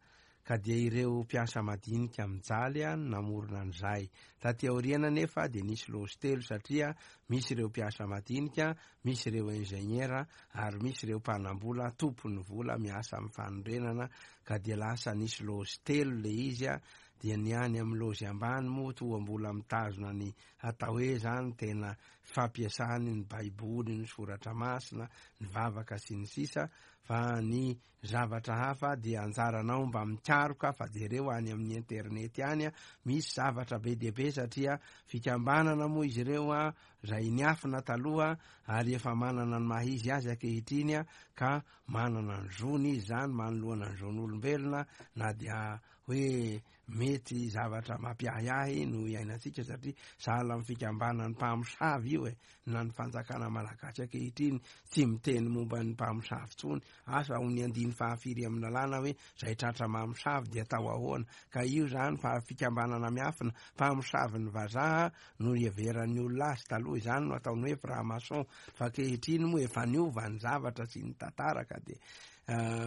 Ka dia ireo mpiasa madinika mijaly a namorona an'izay. Taty aoriana nefa dia nisy lozy telo, satria misy ireo mpiasa madinika, misy ireo ingénieur ary misy ireo mpanambola tompon'ny vola miasa amin'ny fanorenana, ka dia lasa nisy lozy telo le izy a. Dia ny any amin'ny lozy ambany moa toa mbola mitazona ny atao hoe zany tena fampiasany ny baiboly, ny soratra masina, ny vavaka sy ny sisa, fa ny zavatra hafa dia anjaranao mba mikaroka, fa jereo any amin'ny internet any a, misy zavatra be dia be, satria fikambanana moa izy ireo a izay niafina taloha ary efa manana ny maha izy azy ankehitriny a, ka manana ny zony izy zany manoloana ny zon'olombelona, na dia hoe mety zavatra mampiahiahy no iainantsika, satria sahala amin'ny fikambanan'ny mpamosavy io e, na ny fanjakana malagasy ankehitriny tsy miteny momba ny mpamosavy intsony. Asa ho ny andiny fahafiry amin'ny lalàna hoe zay tratra mamosavy dia atao ahoana, ka io zany fa fikambanana miafina mpamosavy ny vazaha no iheveran'ny olona azy taloha, izany no ataony hoe franc-maçon, fa ankehitriny moa efa niova ny zavatra sy ny tantara, ka dia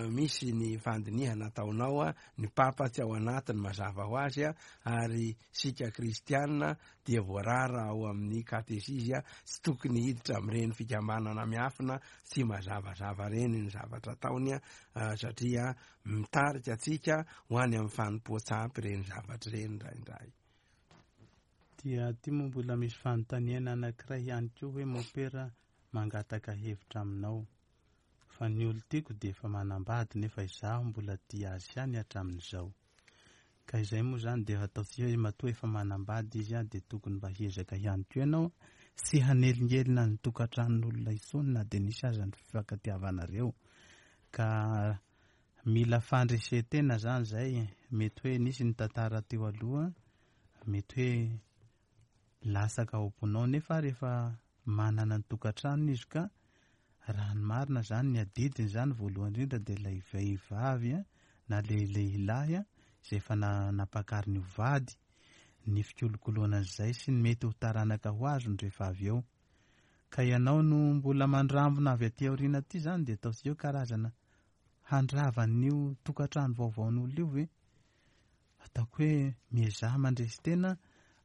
misy ny fandinihana ataonao a, ny papa tsy ao anatiny mazava ho azy a, ary sika kristianina dia voarara ao amin'ny katesizy a, tsy tokony hiditra amin'ireny fikambanana miafina tsy mazavazava reny ny zavatra ataony a, satria mitarika atsika ho any amin'ny fanompoan-tsampy ireny zavatra ireny indraindray. Dia ty moa mbola misy fanontaniana anankiray ihany koa hoe mopera mangataka hevitra aminao, fa ny olo tiako dia efa manambady nefa izaho mbola tia azy ihany hatramin'izao. Ka izay moa zany dia ataontsika hoe matoa efa manambady izy a, dia tokony mba hiezaka ihany koa ianao sy hanelingelina ny tokantranon'olona intsony na dia nisy aza ny fifankatiavanareo. Ka mila fandresetena zany zay, mety hoe nisy ny tantara teo aloha, mety hoe lasaka ao am-ponao nefa rehefa manana ny tokantranony izy ka raha ny marina zany ny adidiny zany voalohany indrindra dia ilay vehivavy a, na le lehilahy a, izay efa nampakariny ho vady, ny fikolokoloana an'izay sy ny mety ho taranaka ho azony rehefa avy eo. Ka ianao no mbola mandrambona avy aty aoriana aty zany dia ataontsika hoe karazana handravan'io tokantrano vaovaon'olona io ve? Ataoko hoe miezaha mandresy tena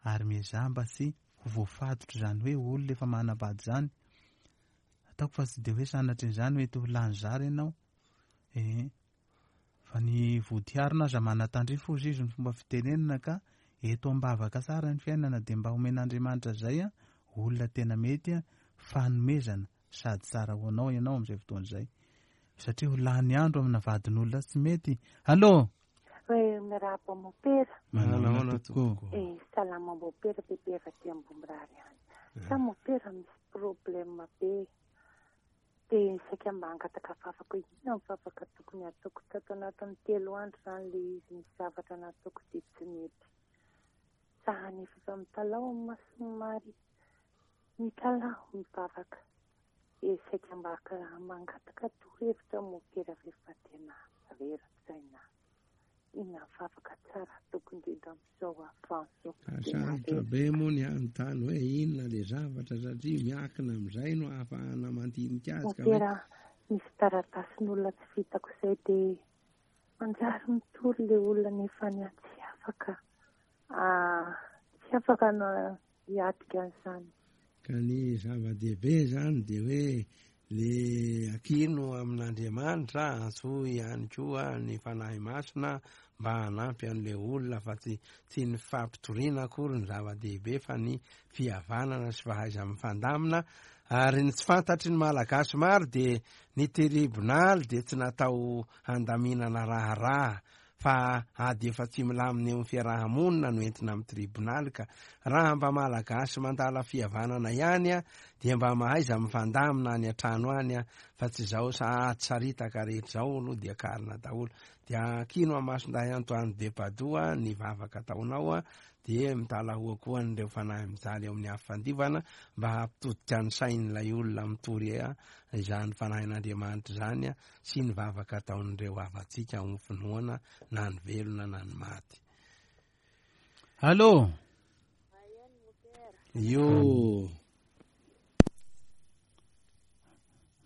ary miezaha mba tsy ho voafatotra izany hoe olona efa manambady izany. Ataoko fa tsy dia hoe sanatrin'izany hoe ho lany zara ianao. Eh, fa ny vodiharina aza manatandrifo izy ny fomba fitenenana, ka eto am-bavaka tsara ny fiainana dia mba omen'Andriamanitra izay a, olona tena mety a, fanomezana sady tsara ho anao ianao amin'izay fotoana izay, satria ho lany andro amina vadin'olona tsy mety. Allô? Hoe mirahaba mopera. Manahoana tokoa? Eh, salama mopera, bebe avy aty Ambomirary any. Sa mopera misy problème be. Dia saika mba hangataka vavaka hoe inona ny vavaka tokony hataoko tato anatin'ny telo andro zany le izy nisy zavatra nataoko dia tsy nety. Za nefa efa mitalaho amin'ny mason'i Maria, mitalaho mivavaka. E saika mba mangataka torohevitra mopera rehefa tena rera-tsaina. Inona ny vavaka tsara ataoko indrindra amin'izao avanzo. Sarotra be moa ny anontany hoe inona le zavatra, satria miakina amin'izay no ahafahana mandinika azy. Ka hoe Mopera, misy taratasin'olona tsy vitako izay dia manjary mitory le olona nefa ny tsy afaka, tsy afaka na hiatrika an'izany. Ka ny zava-dehibe zany dia hoe le akino amin'Andriamanitra, antsoy ihany koa ny Fanahy Masina mba hanampy an'le olona, fa tsy tsy ny fampitoriana akory ny zava-dehibe fa ny fihavanana sy fahaiza mifandamina. Ary ny tsy fantatry ny Malagasy maro dia ny tribonaly dia tsy natao handaminana raharaha, fa ady efa tsy milamina eo amin'ny fiarahamonina no entina amin'ny tribonaly. Ka raha mba Malagasy mandala fihavanana ihany a, dia mba mahaiza mifandamina any an-trano any a, fa tsy izao sahady saritaka rehetra izao aloha dia karina daholo. Dia kino Masindahy Antoine de Padoue ny vavaka ataonao a, dia mitalahoa koa an'ireo fanahy mijaly eo amin'ny afo fandivana mba hampitodika ny sain'ilay olona mitory a izany fanahin'Andriamanitra izany a, sy ny vavaka ataon'ireo havantsika amin'ny finoana na ny velona na ny maty. Allô? Io.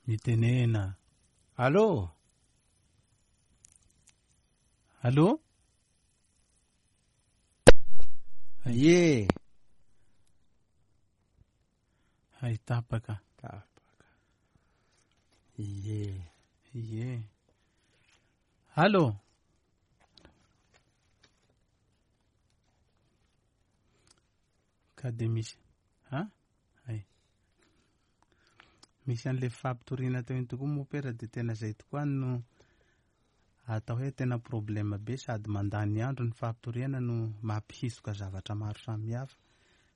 Mitenena. Allô? Allô? Ye. Hay tapaka. Tapaka. Ye. Ye. Allô? Ka dia misy, ha? Hay. Misy an'le fampitoriana teo iny tokoa mopera dia tena izay tokoa no atao hoe tena problème be, sady mandany andro ny fampitoriana no mampihisoka zavatra maro samihafa.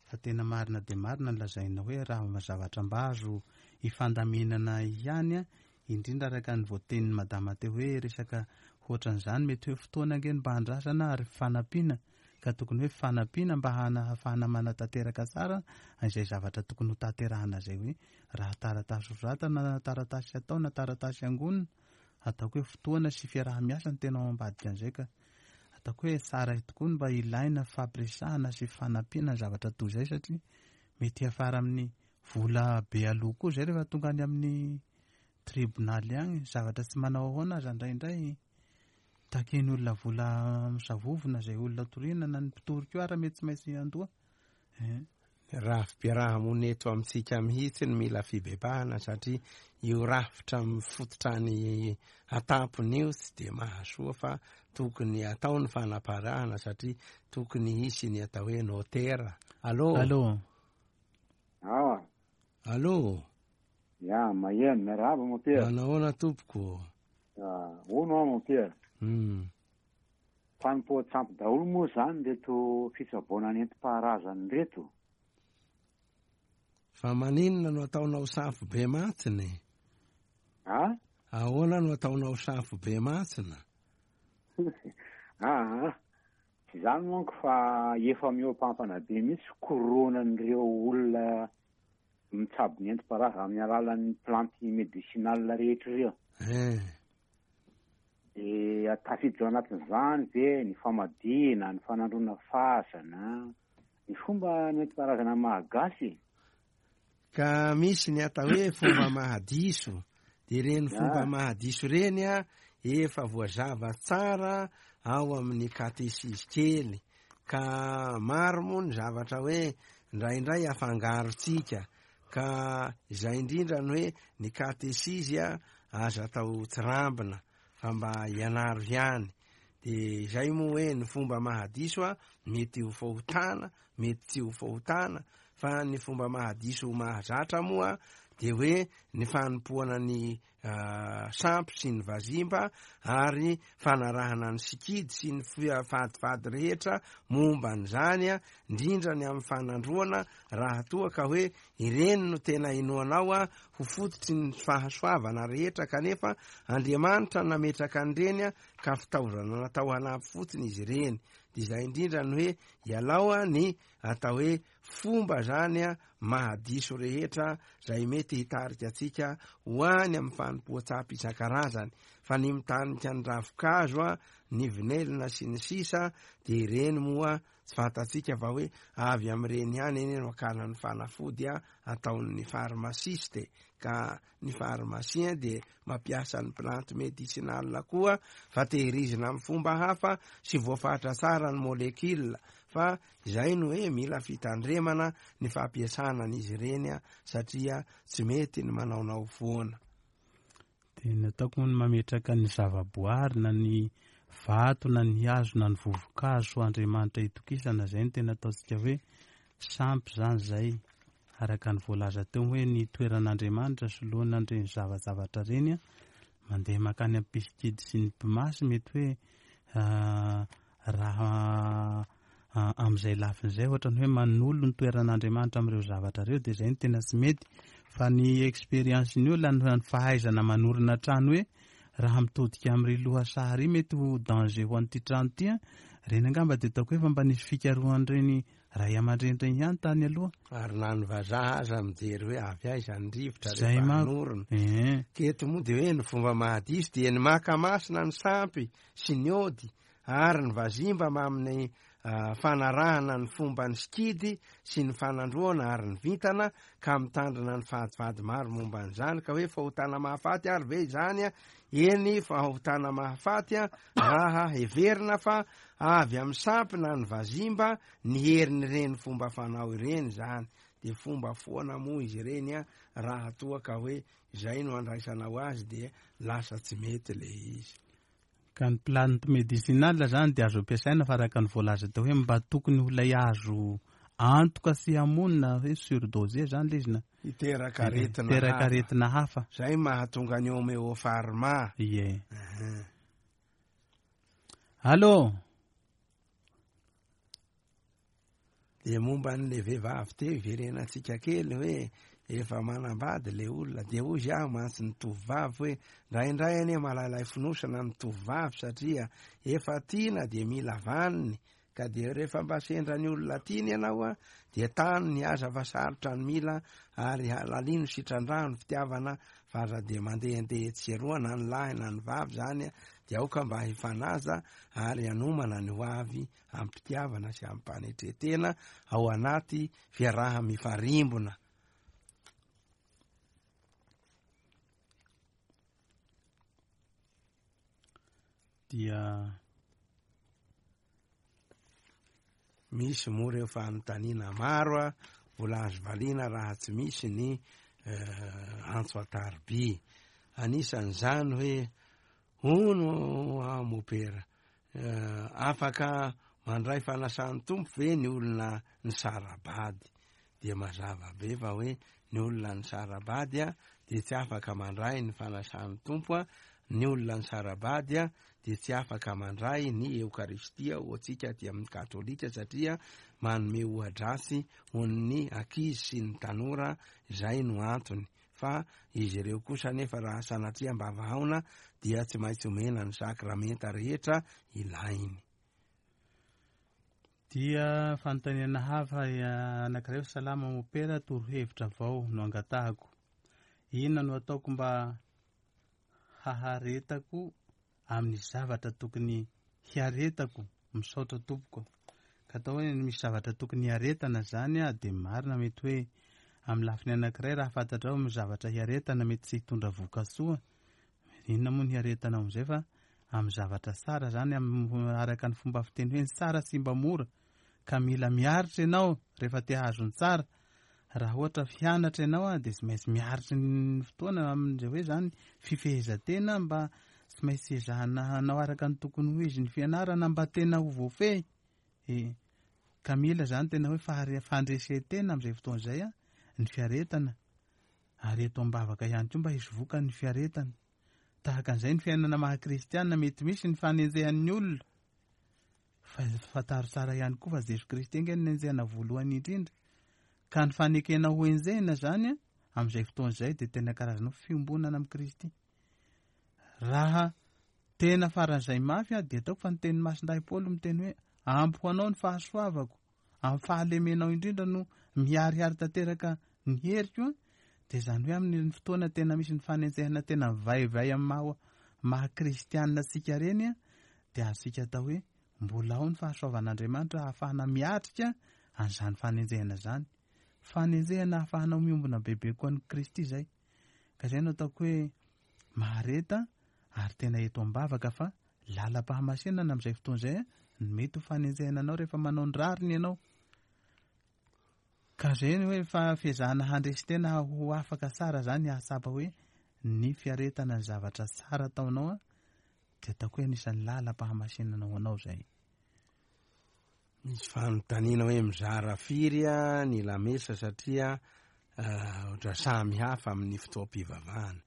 Fa tena marina dia marina ny lazaina hoe raha zavatra mba azo ifandaminana ihany a, indrindra araka ny voatenin'ny madama teo hoe resaka Ohatran'izany mety hoe fotoana ange ny mba andrasana ary fanampiana, ka tokony hoe fanampiana mba hahafahana manatanteraka tsara izay zavatra tokony ho tanterahana izay, hoe raha taratasy soratana na taratasy atao na taratasy angonina, ataoko hoe fotoana sy fiaraha-miasa no tena ao ambadika an'izay. Ka ataoko hoe tsara tokoa ny mba ilaina fampiresahana sy fanampiana ny zavatra toy izay, satria mety hiafara amin'ny vola be aloha koa izay rehefa tonga any amin'ny tribonaly agny. Zavatra tsy manao ahoana aza indraindray takeny olona vola misavovona izay olona toriana, na ny mpitory koa ara mety tsy maintsy andoa. Rafi-piaraha-monina eto amintsika mihitsy ny mila fibebahana, satria io rafitra mifototra ny atampony io tsy de mahasoa, fa tokony atao ny fanaparahana, satria tokony hisy ny atao hoe notera. Allo? Allo? Awa. Allo? Ya, maheno, miarahaba mompera. Manahoana tompoko? Hono aho mompera. Hmm. Fanompoan-tsampy daholo moa zany reto fitsaboana nentim-paharazana reto. Fa maninona no ataonao safo be matsiny? A? Ahoana no ataonao safo be matsina? Ah, tsy zany manko fa efa mihoampampana be mihitsy koronan'ireo olona mitsabo nentim-paharazana amin'ny alalan'ny plante médicinale rehetra ireo. Eh. De tafiditra ao anatin'izany ve ny famadihana, ny fanandroana fasana, ny fomba nentim-paharazana mahagasy? Ka misy ny atao hoe fomba mahadiso, de reny fomba mahadiso reny a efa voazava tsara ao amin'ny katesizy kely. Ka maro moa ny zavatra hoe indraindray afangarotsika, ka izay indrindra ny hoe ny katesizy a aza atao tsirambina fa mba ianaro ihany. De izay moa hoe ny fomba mahadiso a mety ho fahotana, mety tsy ho fahotana, fa ny fomba mahadiso mahazatra moa de hoe ny fanompoana ny sampy sy ny vazimba ary fanarahana ny sikidy sy ny fadifady rehetra momba an'izany a, indrindra ny amin'ny fanandroana, raha toa ka hoe ireny no tena inoanao a ho fototry ny fahasoavana rehetra, kanefa Andriamanitra nametraka an'ireny a ka fitaovana natao hanampy fotsiny izy ireny. De izay indrindra ny hoe ialao a ny atao hoe fomba zany a mahadiso rehetra zay mety hitarika antsika ho any amin'ny fanompoan-tsampy isan-karazany. Fa ny mitanika ny ravikazo a, ny vinelina sy ny sisa, de ireny moa tsy fantatsika fa hoe avy amin'ireny ihany eny no akana ny fanafody a ataon'ny farmasiste. Ka ny farmasien de mampiasa ny plante médicinale koa, fa tehirizina amin'ny fomba hafa sy voafatra tsara ny molekila. Fa izay no hoe mila fitandremana ny fampiasana an'izy ireny a, satria tsy mety ny manaonao foana. De ny ataoko moa ny mametraka ny zavaboary na ny vato na ny hazo na ny vovokazo Andriamanitra itokisana, zay no tena ataontsika hoe sampy zany zay. Araka ny voalaza teo hoe ny toeran'Andriamanitra soloana an'ireny zavazavatra ireny a, mandeha mankany amin'ny mpisikidy sy ny mpimasy, mety hoe raha amin'izay lafin'izay ohatrany hoe manolo ny toeran'Andriamanitra amin'ireo zavatra ireo, de zay no tena tsy mety. Fa ny expérience ny olona, ny fahaizana manorina trano hoe raha mitodika amin'ireo lohasaha ry mety ho danger ho an'ity trano ity a, reny angamba de ataoko hoe fa mba nisy fikarohan'ireny ray aman-dreny ireny ihany tany aloha. Ary na ny vazaha aza mijery hoe avy aiza ny rivotra Zay rehefa manko. hanorina. Eh. Keto moa de hoe ny fomba mahadiso dia ny maka masina ny sampy sy ny ody ary ny vazimba amin'ny fanarahana ny fomba ny sikidy sy ny fanandroana ary ny vintana, ka mitandrina ny fadifady maro momba an'izany. Ka hoe fahotana mahafaty ary ve izany a? Eny, fahotana mahafaty a raha heverina fa avy amin'ny sampy na ny vazimba ny herin'ireny fomba fanao ireny zany. De fomba foana moa izy ireny a raha toa ka hoe izay no andraisanao azy, de lasa tsy mety le izy. Ka ny plante médicinale zany de azo ampiasaina, fa araka ny voalaza teo hoe mba tokony ho lay azo antoka sy hamonina hoe surdosé zany le izy na hiteraka aretina hiteraka hafa. aretina hafa. Zay mahatonga ny homéopharma. Ie. Allo? De momba an'le vehivavy teo iverenantsika kely hoe efa manambady le olona. Dia hoy aho mantsy ny tovovavy hoe indraindray anie malailay fonosana ny tovovavy satria efa tiana dia mila vaniny, ka dia rehefa mba sendra ny olona tiany ianao a dia tano ny aza fa sarotra ny mila, ary lalino sitrandrano fitiavana, fa raha dia mandehandeha etsy sy eroa na ny lahy na ny vavy zany a dia aoka mba hifanaja ary hanomana ny ho avy am-pitiavana sy am-panetretena ao anaty fiaraha mifarimbona. Dia misy moa reo fanontaniana maro a mbola azo valiana raha tsy misy ny antso an-tariby. Anisan'izany hoe hono ah mopera, afaka mandray fanasan'ny Tompo ve ny olona nisara-bady? Dia mazava be fa hoe ny olona nisara-bady a dia tsy afaka mandray ny fanasan'ny Tompo a, ny olona nisara-bady a dia tsy afaka mandray ny Eokaristia ho antsika aty amin'ny katolika, satria manome oha-dratsy ho an'ny ankizy sy ny tanora, izay no antony. Fa izy ireo kosa nefa raha sanatria mba vahaona dia tsy maintsy omena ny sakramenta rehetra ilainy. Dia fanontaniana hafa anankiray, salama mopera, torohevitra vao no angatahako. Inona no ataoko mba haharetako amin'ny zavatra tokony hiaretako? Misaotra tompoko. Ka atao hoe misy zavatra tokony hiaretana zany a, dia marina mety hoe amin'ny lafiny anankiray raha fantatrao misy zavatra hiaretana mety tsy hitondra vokasoa, inona moa ny hiaretana amin'izay, fa amin'ny zavatra tsara zany, araka ny fomba fiteny hoe ny tsara tsy mba mora, ka mila miaritra ianao rehefa te hahazo ny tsara. Raha ohatra fianatra ianao a dia tsy maintsy miaritra ny fotoana amin'izay hoe zany fifehezan-tena, mba tsy maintsy ezahana hanao araka ny tokony ho izy ny fianarana mba tena ho voafehy. E, ka mila zany tena hoe fahare-, fandresen-tena amin'izay fotoana izay a ny fiaretana, ary eto am-bavaka ihany koa mba hisy vokany ny fiaretana. Tahaka an'izay ny fiainana maha kristiana, mety misy ny fanenjehan'ny olona, fa fantaro tsara ihany koa fa Jesosy Kristy ange no nenjehana voalohany indrindra, ka ny fanekena ho enjehina zany a amin'izay fotoana izay dia tena karazana fiombonana amin'i Kristy. Raha tena faran'izay mafy a dia ataoko fa ny tenin'i Masindahy Paoly miteny hoe ampy ho anao ny fahasoavako, amin'ny fahalemenao indrindra no miharihary tanteraka ny heriko a, dia izany hoe amin'ny fotoana tena misy ny fanenjehana tena mivaivay amin'ny maha, maha kristianina antsika ireny a, dia azontsika atao hoe mbola ao ny fahasoavan'Andriamanitra ahafahana miatrika an'izany fanenjehana izany. Fanenjehana ahafahanao miombona bebe koa an'i Kristy izay. Ka izay no ataoko hoe mahareta ary tena eto am-bavaka fa lalam-pahamasinana amin'izay fotoana izay a, ny mety ho fanenjehana anao rehefa manao ny rariny ianao. Ka izay ny hoe fa fiezahana handresy tena ho afaka tsara zany, hahatsapa hoe ny fiaretana ny zavatra tsara ataonao a, dia ataoko hoe anisan'ny lalam-pahamasinana ho anao izay. Misy fanontaniana hoe mizara firy a ny lamesa satria ohatra samy hafa amin'ny fotoam-pivavahana.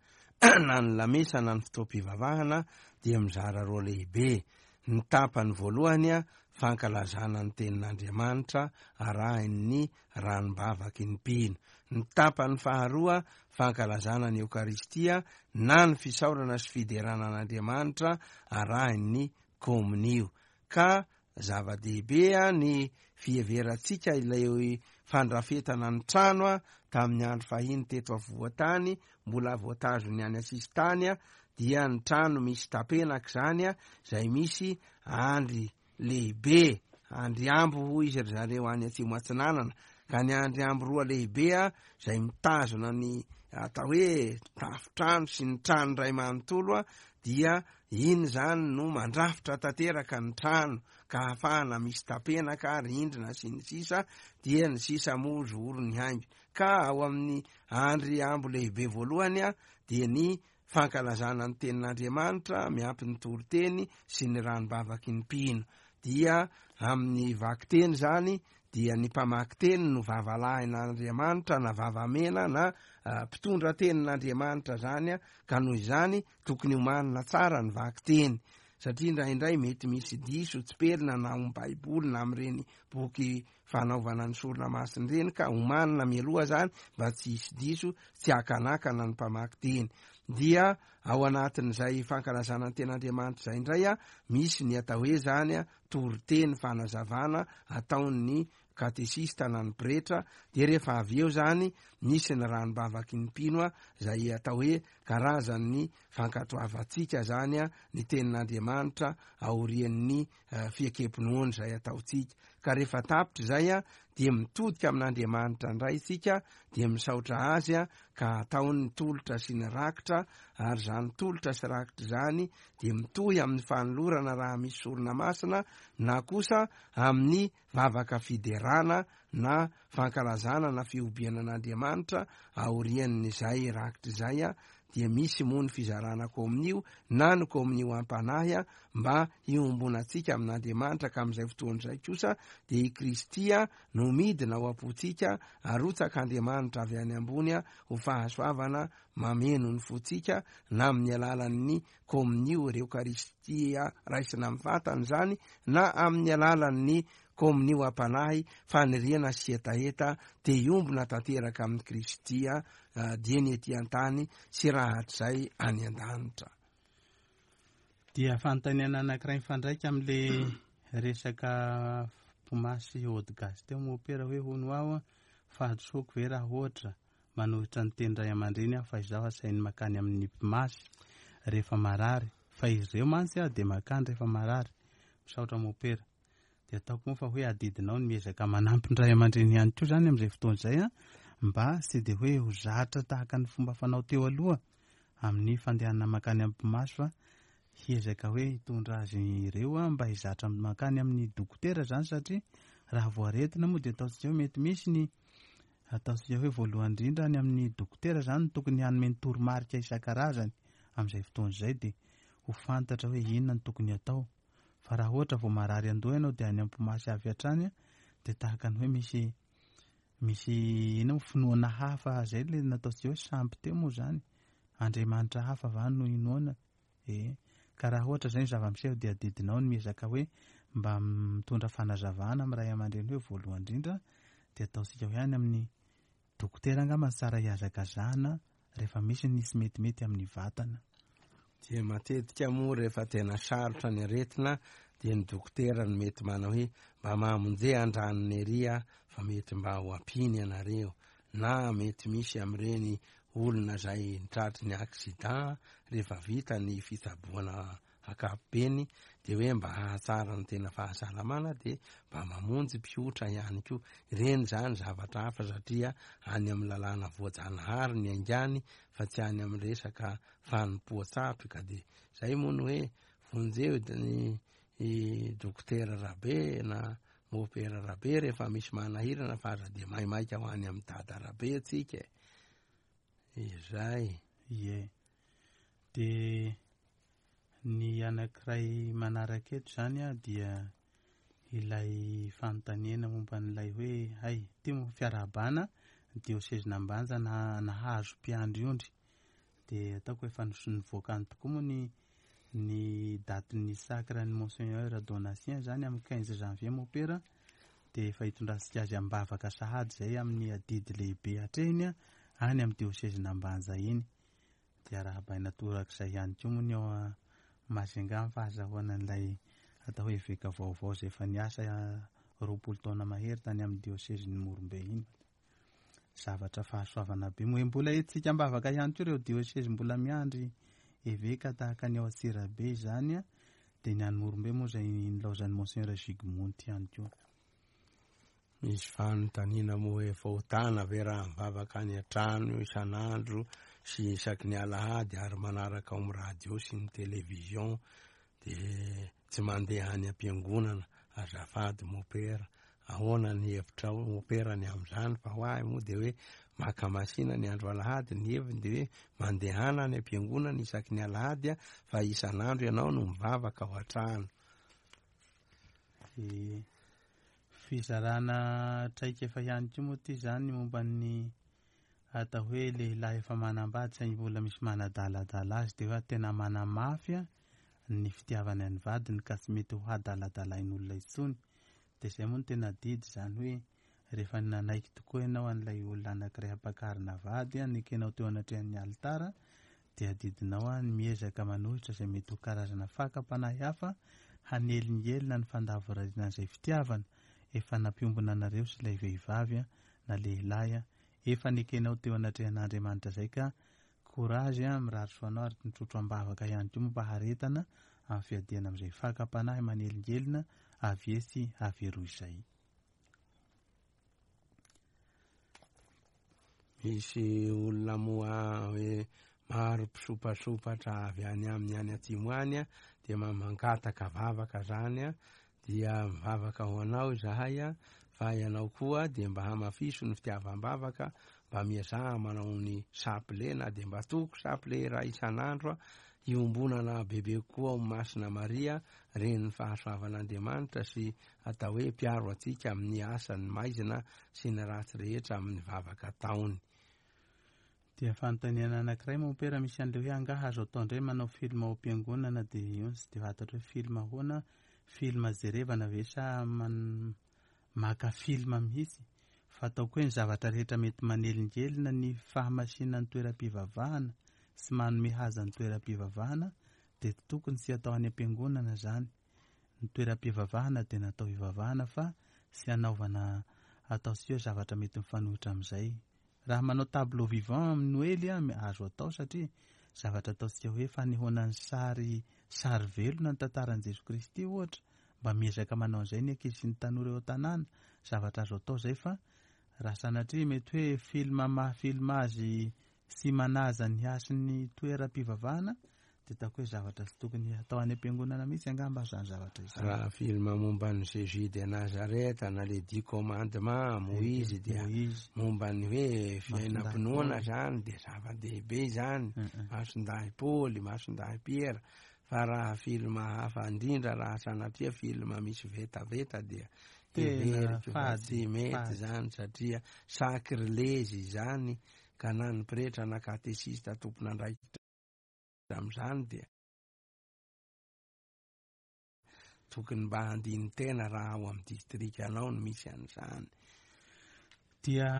Na ny lamesa na ny fotoam-pivavahana dia mizara roa lehibe. Ny tapany voalohany a, fankalazana ny tenin'Andriamanitra arahin'ny ranom-bavaky ny mpino. Ny tapany faharoa, fankalazana ny Eokaristia na ny fisaorana sy fiderana an'Andriamanitra arahin'ny komonio. Ka zava-dehibe a ny fiheverantsika ilay fandrafetana ny trano a tamin'ny andro fahiny teto afovoan-tany, mbola voatazony any asisintany a, dia ny trano misy tapenaka izany a, izay misy andry lehibe, andry ambo hoy izy ry zareo any atsimo atsinanana, ka ny andry ambo roa lehibe a izay mitazona ny atao hoe tafotrano sy ny trano iray manontolo a, dia iny zany no mandrafitra tanteraka ny trano, ka ahafahana misy tapenaka, rindrina sy ny sisa, dia ny sisa moa zoro ny haingo. Ka ao amin'ny andry ambo lehibe voalohany a dia ny fankalazana ny tenin'Andriamanitra miampy ny toriteny sy ny ranom-bavaky ny mpino. Dia amin'ny vakiteny zany dia ny mpamaky teny no vavalahin'Andriamanitra na vavamena na mpitondra tenin'Andriamanitra zany a, ka noho izany tokony homanina tsara ny vakiteny. satria indraindray mety misy diso tsipelina na amin'ny Baiboly na amin'ireny boky fanaovana ny sorona masina ireny, ka omanina mialoha zany mba tsy hisy diso, tsy hakanakana ny mpamaky teny. Dia ao anatin'izay fankalazana ny ten'Andriamanitra izay indray a, misy ny atao hoe zany a toriteny fanazavana ataon'ny katesista na ny pretra. Dia rehefa avy eo zany misy ny ranombavaky ny mpino a, zay atao hoe karazan'ny fankatoavantsika zany a ny tenin'Andriamanitra aorian'ny fiekempinoana izay ataontsika. Ka rehefa tapitra izay a, dia mitodika amin'Andriamanitra indray isika, dia misaotra azy a, ka ataony ny tolotra sy ny rakitra. Ary zany tolotra sy rakitra zany dia mitohy amin'ny fanolorana raha misy sorona masina, na kosa amin'ny vavaka fiderana na fankalazana na fihobiana an'Andriamanitra aorian'izay rakitra izay a. Dia misy moa ny fizarana kominio na ny kominio ampanahy a, mba hiombonantsika amin'Andriamanitra. Ka amin'izay fotoana izay kosa dia i Kristy a no midina ao am-pontsika, arotsaka Andriamanitra avy any ambony a, ho fahasoavana mameno ny fontsika, na amin'ny alalan'ny kominio Eokaristia raisina amin'ny vatana izany, na amin'ny alalan'ny kominio ampanahy, faniriana sy hetaheta te hiombona tanteraka amin'i Kristy a, dieny ety an-tany sy rahatrizay any an-danitra. Dia fanontaniana anankiray mifandraika amin'le resaka mpimasy ody gasy teo mopera hoe hono aho fahadisoako ve raha ohatra manohitra ny teny ray aman-dreny aho fa izaho asainy makany amin'ny mpimasy rehefa marary, fa izy ireo mantsy aho dia makany rehefa marary. Misaotra mopera. Dia ataoko moa fa hoe adidinao ny miezaka manampy ny ray aman-dreny ihany koa zany amin'izay fotoana izay a, mba tsy dia hoe ho zatra tahaka ny fomba fanao teo aloha amin'ny fandehanana makany amin'ny mpimasy, fa hiezaka hoe hitondra azy ireo a mba hizatra makany amin'ny dokotera zany, satria raha voaretina moa dia ataontsika hoe mety misy ny ataontsika hoe voalohany indrindra any amin'ny dokotera zany tokony hanome ny toromarika isan-karazany amin'izay fotoana izay, dia ho fantatra hoe inona no tokony atao. Fa raha ohatra vao marary andoha ianao dia any am-pimasy avy hatrany dia tahaka ny hoe misy misy inona moa finoana hafa zay le nataontsika hoe sampy teo moa zany, Andriamanitra hafa va no inoana e. Ka raha ohatra zay ny zava-miseho dia adidinao ny miezaka hoe mba mitondra fanazavana amin'ny ray aman-dreny hoe voalohany indrindra dia ataontsika hoe any amin'ny dokotera angamba tsara hihazakazahana rehefa misy ny tsy metimety amin'ny vatana. Dia matetika moa rehefa tena sarotra ny aretina dia ny dokotera no mety manao hoe mba mamonje an-dranony ery a, fa mety mba ho ampiny ianareo, na mety misy amin'ireny olona izay nitratry ny accident rehefa vita ny fitsaboana ankapobeny dia hoe mba hahatsara ny tena fahasalamana dia mba mamonjy mpiotra ihany koa. Ireny zany zavatra hafa satria any amin'ny lalàna voajanahary ny aingany fa tsy any amin'ny resaka fanompoan-tsampy. Ka dia zay moa no hoe vonjeo ny dokotera Rabe na mopera Rabe rehefa misy manahirana, fa aza dia maimaika ho any amin'ny dada Rabe atsika e. Izay. Ie. Dia ny anankiray manaraka eto zany a dia ilay fanontaniana momba an'ilay hoe hay ty moa fiarahabana diosezin'Ambanja na nahazo mpiandry ondry. Dia ataoko efa nivoaka any tokoa moa ny ny datin'ny sacre ny Monseigneur Donatien zany amin'ny quinze janvier mopera, dia efa hitondrantsika azy am-bavaka sahady zay amin'ny adidy lehibe hatrehiny any amin'ny diosezin'Ambanja iny. Dia arahabaina torak'izay ihany koa moa ny ao Majunga amin'ny fahazahoana an'ilay atao hoe eveka vaovao izay efa niasa roapolo taona mahery tany amin'ny diosezin'ny Morombe iny. Zavatra fahasoavana be moa. Mbola entintsika am-bavaka ihany koa ireo diosezy mbola miandry eveka tahaka ny ao Antsirabe izany a, dia ny any Morombe moa izay nilaozan'ny Monseigneur Gigmonty ihany koa. Misy fanontaniana moa hoe fahotana ve raha mivavaka any an-trano isan'andro sy isaky ny alahady ary manaraka ao amin'ny radio sy ny télévision dia tsy mandeha any am-piangonana? Azafady mopera, ahoana ny hevitrao mopera ny amin'izany? Fa ho ahy moa dia hoe maka masina ny andro alahady, ny heviny dia hoe mandehana any am-piangonana isaky ny alahady a, fa isan'andro ianao no mivavaka ao an-trano. E, fizarana traikefa ihany koa moa ty zany momba ny atao hoe lehilahy efa manambady saingy mbola misy manadaladala azy, dia hoe tena manamafy a ny fitiavany any vadiny ka tsy mety ho hadaladalain'olona intsony. Dia izay moa no tena didy izany hoe rehefa nanaiky tokoa ianao an'ilay olona anankiray hampakarina vady, nekenao teo anatrehan'ny alitara, dia adidinao ny miezaka manohitra izay mety ho karazana fakam-panahy hafa hanelingelina ny fandavorariana izay fitiavana efa nampiombona anareo sy ilay vehivavy na lehilahy efa nekenao teo anatrehan'Andriamanitra izay. Ka courage, mirary soa anao ary mitrotro am-bavaka ihany koa mba haretana amin'ny fiadiana amin'izay fakam-panahy manelingelina avy etsy avy eroa izay. Misy olona moa hoe maro mpisopasopatra avy any aminy any atsimo any dia mangataka vavaka zany, dia mivavaka ho anao izahay, fa ianao koa dia mba hamafiso ny fitiavam-bavaka, mba miezaha manao ny saple na dia mba toko saple iray isan'andro iombonana bebe kokoa ao Masina Maria, renin'ny fahasoavan'Andriamanitra sy atao hoe mpiaro antsika amin'ny asan'ny maizina sy ny ratsy rehetra amin'ny vavaka ataony. Dia fanontaniana anankiray mompera misy an'ilay hoe angaha azo atao indray manao film ao am-piangonana, dia io tsy dia fantatra hoe film ahoana, film jerevana ve sa man- maka film mihitsy? Fa ataoko hoe ny zavatra rehetra mety manelingelina ny fahamasinan'ny toeram-pivavahana sy manome haza ny toeram-pivavahana dia tokony tsy atao any am-piangonana zany. Ny toeram-pivavahana dia natao hivavahana fa tsy hanaovana atao sy hoe zavatra mety mifanohitra amin'izay. Raha manao tableau vivant amin'ny Noely azo atao satria zavatra ataontsika hoe fanehoana ny sary sary velona ny tantaran'i Jesoa Kristy ohatra, mba miezaka manao an'izay ny ankizy sy ny tanora eo an-tanàna, zavatra azo atao izay. Fa raha sanatria mety hoe film maha film azy sy manaja ny hasin'ny toeram-pivavahana dia ataoko hoe zavatra tsy tokony atao any am-piangonana mihitsy angamba izany zavatra izany. Raha film momba ny Jésus de Nazareth na les dix commandements, Moïse, dia momba ny hoe fiainam-pinoana zany dia zava-dehibe zany, Masindahy Paoly, Masindahy Piera. Fa raha film hafa indrindra, raha sanatria film misy vetaveta dia heveriko fa tsy mety zany satria sacrilège izany, ka na ny pretra na katesista tompon'andraikitra amin'izany dia tokony mba handiny tena raha ao amin'ny distrikanao no misy an'izany. Dia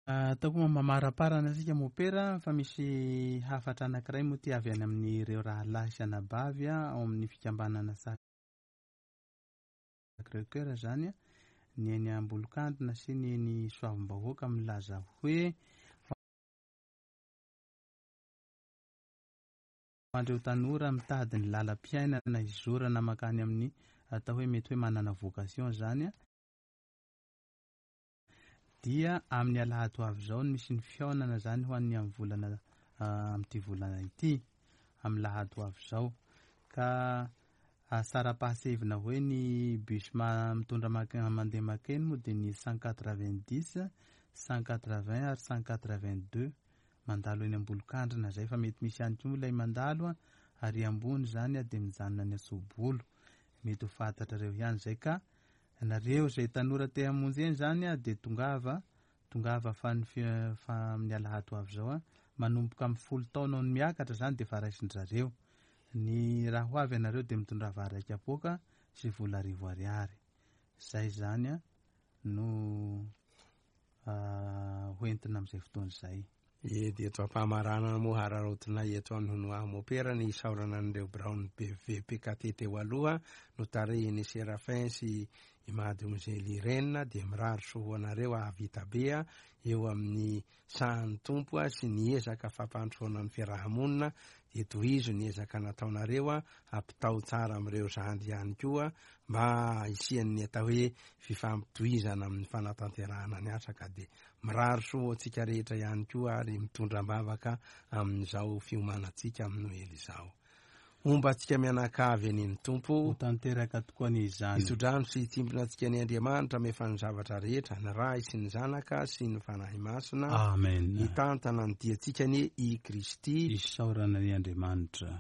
ataoko moa mamaraparana antsika mopera fa misy hafatra anankiray moa ty avy any amin'ireo rahalahy sy anabavy ao amin'ny fikambanana Sacré-Cœur zany, ny eny Ambolokandrina sy ny eny Soavim-bahoaka, milaza hoe andreo tanora mitady ny lalam-piainana izorana makany amin'ny atao hoe mety hoe manana vocation zany, dia amin'ny alahady ho avy izao no misy ny fihaonana zany ho an'ny amin'ny volana amin'ity volana ity, amin'ny lahady ho avy izao. Ka asara-pahasevina hoe ny bus mitondra mandeha makeny moa dia ny cent quatre-vingt-dix, cent quatre-vingts ary cent quatre-vingt-deux mandalo eny Ambolokandrina zay, fa mety misy ihany koa ilay mandalo ary ambony zany dia mijanona ny Asobolo, mety ho fantatrareo ihany zay. Ka nareo izay tanora te hamonjy eny zany dia tongava, tongava fa ny fa amin'ny alahady ho avy izao manomboka amin'ny folo taona no miakatra zany dia efa raisin-dry zareo. Ny raha ho avy ianareo dia mitondra vary raika poaka sy vola arivo ariary. Zay zany no hoentina amin'izay fotoana izay. E dia eto am-pamaranana moa hararaotinay eto an'Honoahy mopera ny isaorana an'ireo biraon'ny B V P K T teo aloha notarihin'ny Séraphin sy i Mademoiselle Irène, dia mirary soa ho anareo hahavita be eo amin'ny sahan'ny Tompo sy ny ezaka fampandrosoana ny fiarahamonina. Dia tohizo ny ezaka nataonareo, ampitao tsara amin'ireo zandry ihany koa mba hisian'ny atao hoe fifampitohizana amin'ny fanatanterahana ny asa. Ka dia mirary soa ho antsika rehetra ihany koa ary mitondra am-bavaka amin'izao fiomanantsika amin'ny Noely izao. Homba antsika mianakavy eny ny Tompo. Ho tanteraka tokoa ny izany. Hitsodrano sy hitsimbina antsika ny Andriamanitra mefa ny zavatra rehetra, ny Ray sy ny Zanaka sy ny Fanahy Masina. Amen. Hitantana ny diantsika anie i Kristy. Isaorana ny Andriamanitra.